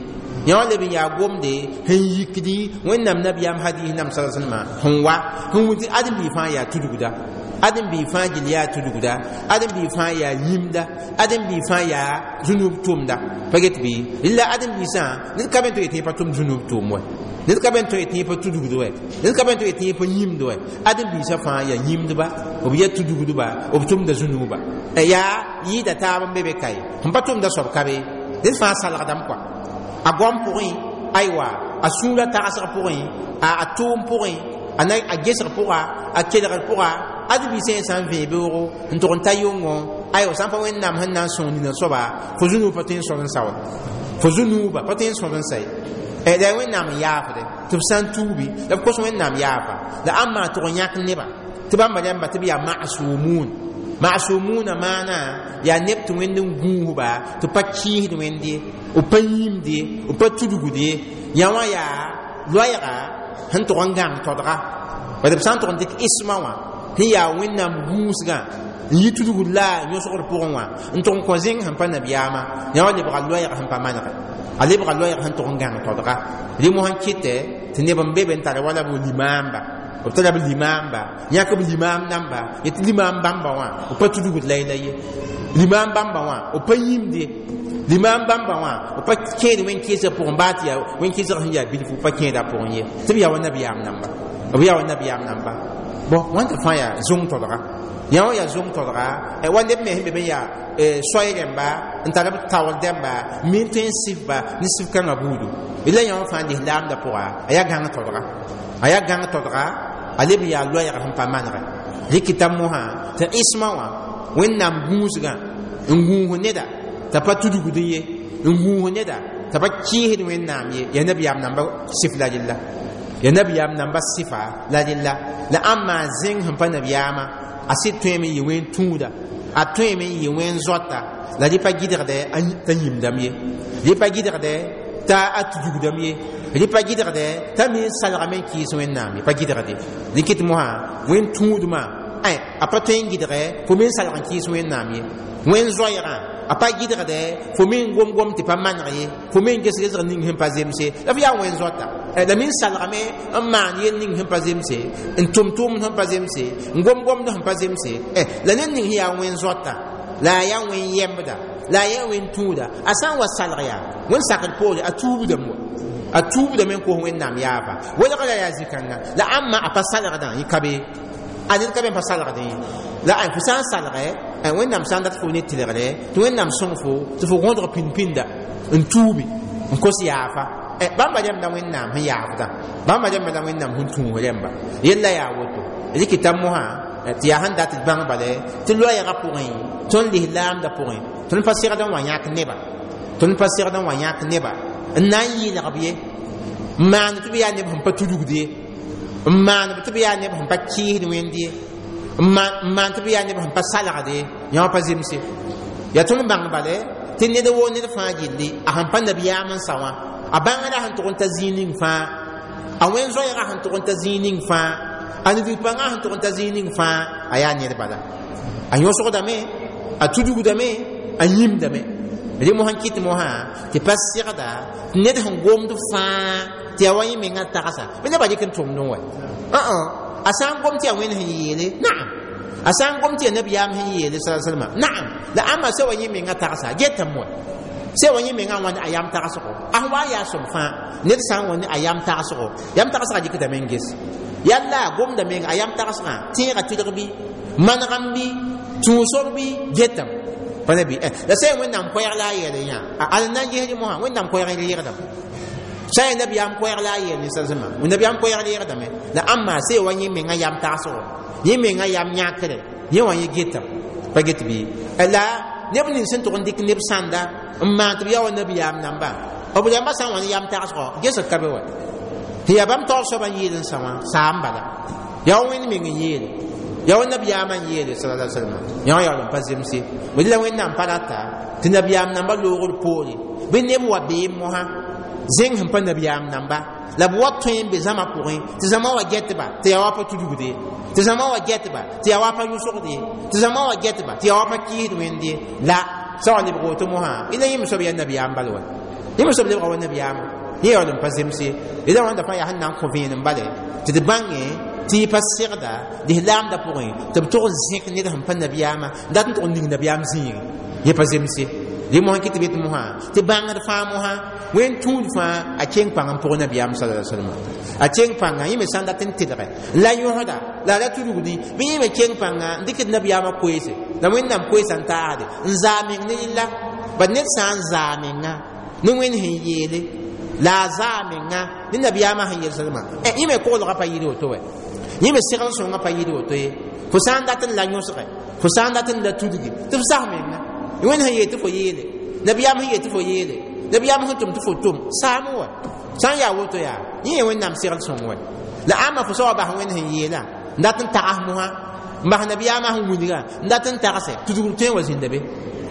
yã wã leb n yaa gomde sẽn yikdi Wẽnnaam nabiyaam hadis nam sa salma sẽn wa sẽn wʋ tɩ ãdem-biig fãa yaa tudgda ãdem-biig fãa gill yaa tudgda ãdem-biig fãa yaa yĩmda ãdem-biig fãa yaa zũnub tʋʋmda pa get bɩ rɩla ãdem-biisã ned ka be n tɩ yetɩ pa tʋm zũnub tʋʋm wɛ ned ka be n tɩ yetɩ pa tudgd wɛ ned ka be n tɩ yetɩ pa yĩmd wɛ ãdem-biisã fãa yaa yĩmdba b yaa tudgdba b tʋmda zũnuba yaa yɩɩda taab n be be ka ye sẽn pa tʋmda soab ka be ned fãa salgdame kɔa a goam pʋgẽ aywa a sũurã tagsg pʋgẽ a tʋʋm pʋgẽ a gesg pʋga a kelgr pʋga ãdem-biisã yẽ sã n vẽe beoogo n tʋg n ta yʋngo aywa sã n pa Wẽnnaam sẽn na n sõng nina soaba fo zũnuub pa tõe n sõd n sa wa fo zũnuubã pa tõe n sõd n sa ye la Wẽnnaam n yaafde tɩ b sã n tuubi la b kos Wẽnnaam yaafa la ãmb maa tʋg n yãk neba tɩ bãmba rãmba tɩ b yaa masumun masumuna maana yaa neb tɩ Wẽnd n gũusba tɩ pa kɩɩsd Wẽnd ye b pa yĩmd ye b pa tudgd ye yã wã yaa loɛɛga sẽn tʋg n gãng todga bad b sã n tʋg n dɩk isma wã sẽn yaa Wẽnnaam gũusgã n yi tudgd la yõsgd pʋgẽ wã n tʋg n kõ zẽng sẽn pa nabiyaamã yã wã lebga loɛɛg sẽn pa manege a lebga loɛɛg sẽn tʋg n gãng todga rẽ mosã kɩtɛ tɩ neb n be be n tara wala b limaamba B tara b limaamba, yãk b limaam namba, yetɩ limaam bãmba wã b pa tudgd la ye, limaam bãmba wã b pa yĩmd ye, limaam bãmba wã b pa kẽed wẽn-kɩɩsg pʋgẽ, baa tɩ yaa wẽn-kɩɩsg sẽn yaa bilfu, pa kẽeda pʋgẽ ye, tɩ b yaa wa nabiyaam namba, b yaa wa nabiyaam namba. Bõ, wãnta fãa yaa zũng todga, yã wã yaa zũng todga wa neb me sẽn be me yaa soay rẽmba n tar b taoor dẽmba mi n tõe n sɩfba ne sɩf kãngã buudu. La yã wã fãa lislaamdã pʋga a yaa gãng todga, a yaa gãng todga, a leb n yaa loɛɛg sẽn pa manegɛ. Rɩkɩta mosã tɩ ismã wã Wẽnnaam gũusgã n gũus neda t'a pa tudgd ye, n gũus neda t'a pa kɩɩsd Wẽnnaam ye, yaa nabiyaam namba sɩf la rella, yaa nabiyaam namba sɩfa la rella. La ãmb maa zẽng sẽn pa nabiyaamã, a sɩd tõeme n yɩ wẽn tũuda, a tõeme n yɩ wẽn zoata, la rɩ pa gɩdgdɛ t'a yĩmdame ye, rɩ pa gɩdgdɛ t'a a tudgdame ye, rɩ pa gɩdgdɛ t'a me n salgame n kɩɩs Wẽnnaam ye, pa gɩdgde. Rɩkɩt mosã wẽn tũudmã a pa tõe n gɩdgɛ fo me n salg n kɩɩs Wẽnnaam ye, wẽn zoɛɛgã a pa gɩdgdɛ fo me n gom-gom tɩ pa maneg ye, fo me n ges-gesg ning sẽn pa zemse, la f yaa wẽn zoata, la me n salgame n maan yel ning sẽn pa zemse, n tʋm tʋʋmd sẽn pa zemse, n gom-gomd sẽn pa zemse. La ned ning sẽn yaa wẽn zoata, la a yaa wẽn yɛmbda, la a yaa wẽn tũuda, a sã n wa salg yaa wẽn sakd poore, a tuubdame wa, a tuubdame n kos Wẽnnaam yaafa welg la yaa zĩ-kãnga. La ãmba a pa salgdã yẽ ka be, a ned ka be n pa salgdẽ ye. La fo sã n salgɛ, Wẽnnaam sã n dat fo ne tɩlgre tɩ Wẽnnaam sõng fo tɩ fo gõdg pĩnd-pĩnda n tuubi n kos yaafa. Bãmba rẽmda Wẽnnaam sẽn yaafdã, bãmba rẽmba la Wẽnnaam sẽn tũus rẽmba yella yaa woto. Rɩkɩta mosã tɩ yaa sẽn dat d bãng bale tɩ loɛɛgã pʋgẽ, tõnd lislaamdã pʋgẽ, tõnd pa segd n wa yãk neba, tõnd pa segd n wa yãk neba n na n yɩlgb ye, n maan tɩ b yaa neb sẽn pa tudgd ye, n maan tɩ b yaa neb sẽn pa kɩɩsd Wẽnd ye, n maan tɩ b yaa neb sẽn pa salgd ye, yã wã pa zemse. Yaa tõnd bãng bale tɩ ned woo ned fãa gilli a sẽn pa nabiyaam n sa wã, a bãngrã sẽn tʋg n ta zĩig ning fãa, a wẽn zoɛɛgã sẽn tʋg n ta zĩig ning fãa, a nidg pãngã sẽn tʋg n ta zĩig ning fãa, a yaa ned bala, a yõsgdame, a tudgdame, a yĩmdame. Rẽ mosã n kɩt mosã tɩ pa segda tɩ ned sẽn gomd fãa tɩ yaa wa yẽ mengã tagsa bɩ nebã dɩk n tʋmdẽ wa. A sã n gom tɩ yaa Wẽnd sẽn yeele, naam, a sã n gom tɩ yaa nabiyaam sẽn yeele sala salma, naam, la ãmba sã wa yẽ mengã tagsa getame wa, sã wa yẽ mengã wãnd a yam tagsgo, a sẽn wa yaa sõm fãa. Ned sã n wa ne a yam tagsgo, yam tagsgã dɩkdame n ges yalla a gomda menga a yam tagsgã tẽegã tɩlg bɩ manegam bɩ tũusb bɩ getame pa nabi. La sã Wẽnnaam koɛɛg la a yɛl yã al na n gesd mosã, Wẽnnaam koɛɛg n reegdame, sã n nabiyaam koɛɛg la a yɛl ne sãsẽma, nabiyaam koɛɛg reegdame. La ãmba sã wa yẽ mengã yam tagsgo, yẽ mengã yam yãkre, yẽ wã yẽ getame pa get bɩ. La neb nins sẽn tʋg n dɩk neb sãnda n maan tɩ b yaa wa nabiyaam namba, b rãmbã sã n wa ne yam tagsgo gesg ka be wa, tɩ yaa bãmb taoor soabã n yeel n sa wã saam bala, yaa wa Wẽnd meng n yeele, yaa wa nabiyaamã n yeele sala salma, yã wã yaool n pa zemse. B la Wẽnnaam pa rata tɩ nabiyaam namba loogr poore bɩ neb wa beem mosã zẽng sẽn pa nabiyaam namba, la b wa tõe n be zãma pʋgẽ tɩ zãma wa gɛtba tɩ yaa wa pa tudgde, tɩ zãma wa gɛtba tɩ yaa wa pa yʋsgde, tɩ zãma wa gɛtba tɩ yaa wa pa kɩɩsd Wẽnd ye. La sã wa lebg woto mosã ila yẽm soab yaa nabiyaam bal wa, yẽm soab lebga wa nabiyaamã, yẽ yaool n pa zemse. La wãnda fãa yaa sẽn na n kõ vẽenem bale tɩ d bãngẽ tɩ y pa segda lislaamdã pʋgẽ tɩ b tʋg n zẽk ned sẽn pa nabiyaamã dat n tʋg n ning nabiyaam zĩigẽ, yẽ pa zemse. Rẽ mosã kɩ tɩ b yet mosã tɩ bãngd fãa mosã wẽn tũud fãa a keng pãng n pʋg nabiyaam sala salma, a keng pãnga yẽ me sã n dat n tɩlgɛ la yõsda la ra tudgdi bɩ yẽ me keng pãnga n dɩkd nabiyaamã koeese, la Wẽnnaam koeesã n taasde n zaa meng ne rella. Bad ned sã n zaa menga ne Wẽnd sẽn yeele, la a zaa menga ne nabiyaamã sẽn yel salma, yẽ me koglgã pa yɩɩd woto wɛ, yẽ me segl sõngã pa yɩɩd woto ye. Fo sã n dat n la yõsgɛ, fo sã n dat n la tudgi tɩ f sas menga Wẽnd sẽn yeel tɩ fo yeele, nabiyaam sẽn yeel tɩ fo yeele, nabiyaam sẽn tʋm tɩ fo tʋm saam wa, sã n yaa woto yaa yẽ ye Wẽnnaam segl sõng wɛ. La ãmba fo sã wa bas Wẽnd sẽn yeelã n dat n tags mosã, n bas nabiyaamã sẽn wilgã n dat n tagse, tudgr tõe n wa zĩnda be,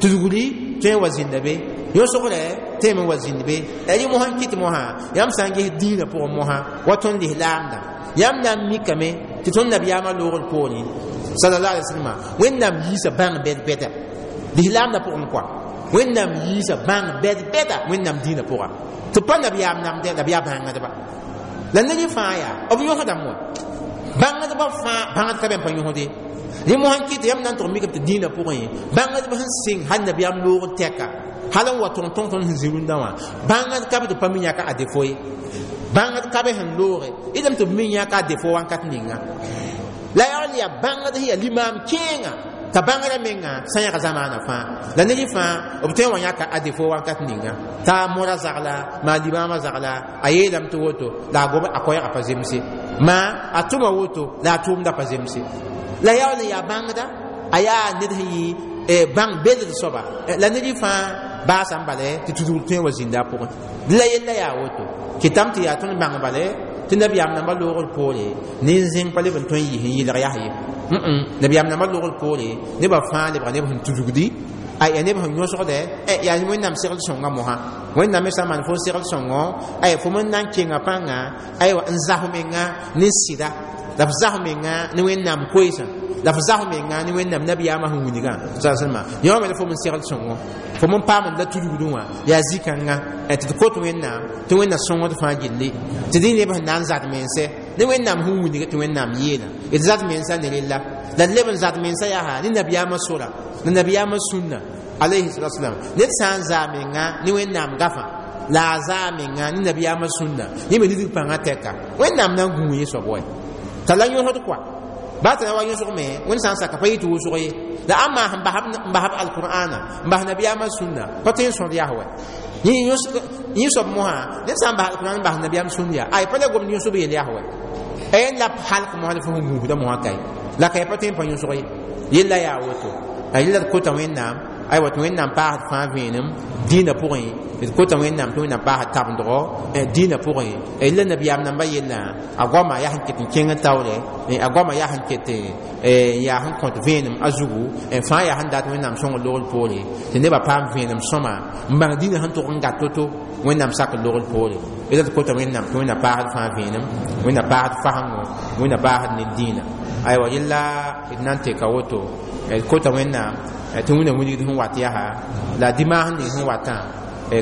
tudgri tõe n wa zĩnda be, yõsgrɛ tõe me wa zĩnd be. Rɩ mosã n kɩt mosã yãmb sã n ges dĩinã pʋgẽ mosã wa tõnd lislaamdã, yãmb na n mikame tɩ tõnd nabiyaamã loogr poorẽ sallallahu alaihi wasallam Wẽnnaam yiisa bãng bɛd-bɛda lislaamdã pʋgẽ kɔa, Wẽnnaam yiisa bãng bɛd-bɛda Wẽnnaam dĩinã pʋga, tɩ pa nabiyaam namdɛ la b yaa bãngdba. La ned fãa yaa b yõsdame wa, Bãngdbã fãa bãngd ka be n pa yõsde rẽ mosã n kɩt tɩ yãmb na n tʋg mikame tɩ dĩinã pʋgẽ bãngdb sẽn sɩng hal nabiyaam loogr tɛka hal n wa tõg tõng tõnd sẽn zĩ rũndã wã bãngd ka be tɩ pa mi yãka a defo ye bãngd ka be sẽn looge dame tɩ b mi yãka a defo wãnkat ninga la yaool yaa bãngd sẽn yaa limaam kẽenga t'a bãngrã menga sã yãg zamaana fãa la ned fãa b tõe n wa yãka a defo wãnkat ninga t'a mora zagla maa limaamã zagla a yeelame tɩ woto la a gob a koɛɛgã pa zemse maa a tʋma woto la a tʋʋmda pa zemse la yaool n yaa bãngda a yaa ned sẽn yɩ bãng beld soaba la ned fãa baasã n bala tɩ tudgr tõe n wa zĩnda a pʋgẽ la yella yaa woto kɩtame tɩ yaa tõnd bãng bala tɩ nabiyaam nambã loogr poore nin-zẽng pa leb n tõe n yɩs n yɩlg yaa ye nabiyaam nambã loogr poore nebã fãa lebga neb sẽn tudgdi a yaa neb sẽn yõsgdɛ yaa wẽnnaam segl sõnga mosã wẽnnaam me sã n maan fo segl sõngo ay fo me n na n kenga pãnga aywa n zas menga ne sɩda la f zas menga ne wẽnnaam koeesã la f zas menga ne wẽnnaam nabiyaamã sẽn wilgã salma yõ me la fo me n segl sõngo fo me n paam la tudgdẽ wã yaa zĩ-kãnga tɩ d kot wẽnnaam tɩ wẽnna sõngd fãa gilli tɩ dẽ neb sẽn na n zad mense ne wẽnnaam sẽn wilg tɩ wẽnnaam yeela d zad mensa ne rella la d leb n zad mensa yaa ne nabiyaamã sora la nabiyaamã sũnna alayhi salatu wasalam ned sã n zaa menga ne wẽnnaam gafã la a zaa menga ne nabiyaamã sũnna yẽ me lidg pãngã tɛka wẽnnaam na n gũu yẽ soab wa t'a la yõsd kɔa baa t'a na wa yõsg me wẽnd sã n saka pa yɩ tɩ wʋsg ye la ãmma sẽn basb alqur'ana n bas nabiyaamã sũnna pa tõe n sõd yaa wa yẽ soab mosã ned sã n bas alqur'an n bas nabiyaam sũnd yaa ay pa la gomd yõsb yel yaa wa n la halk mosã la fo sẽn gũusda mosã kae la ka pa tõe n pa yõsg ye yella yaa woto a yella d kota wẽnnaam aywa tɩ wẽnnaam paasd fãa vẽenem dĩinã pʋgẽ d kota wẽnnaam tɩ wẽnnaam paasd tabendgo dĩinã pʋgẽ la nabiyaam nambã yellã a goama yaa sẽn ket n kẽng n taoore a goama yaa sẽn ket n yaa sẽn kõt vẽenem a zugu fãa yaa sẽn dat wẽnnaam sõngr logr poore tɩ nebã paam vẽenem sõma n bãng dĩinã sẽn tʋg n gat to-to wẽnnaam sakr logr poore la d kota wẽnnaam tɩ wẽnnaam paasd fãa vẽenem wẽnnaam paasd fasengo wẽnnaam paasd ne dĩinã aywa yella d na n teka woto d kota wẽnnaam tɩ wẽnnaam wilgd sẽn wat yaa la dimaas ning sẽn watã.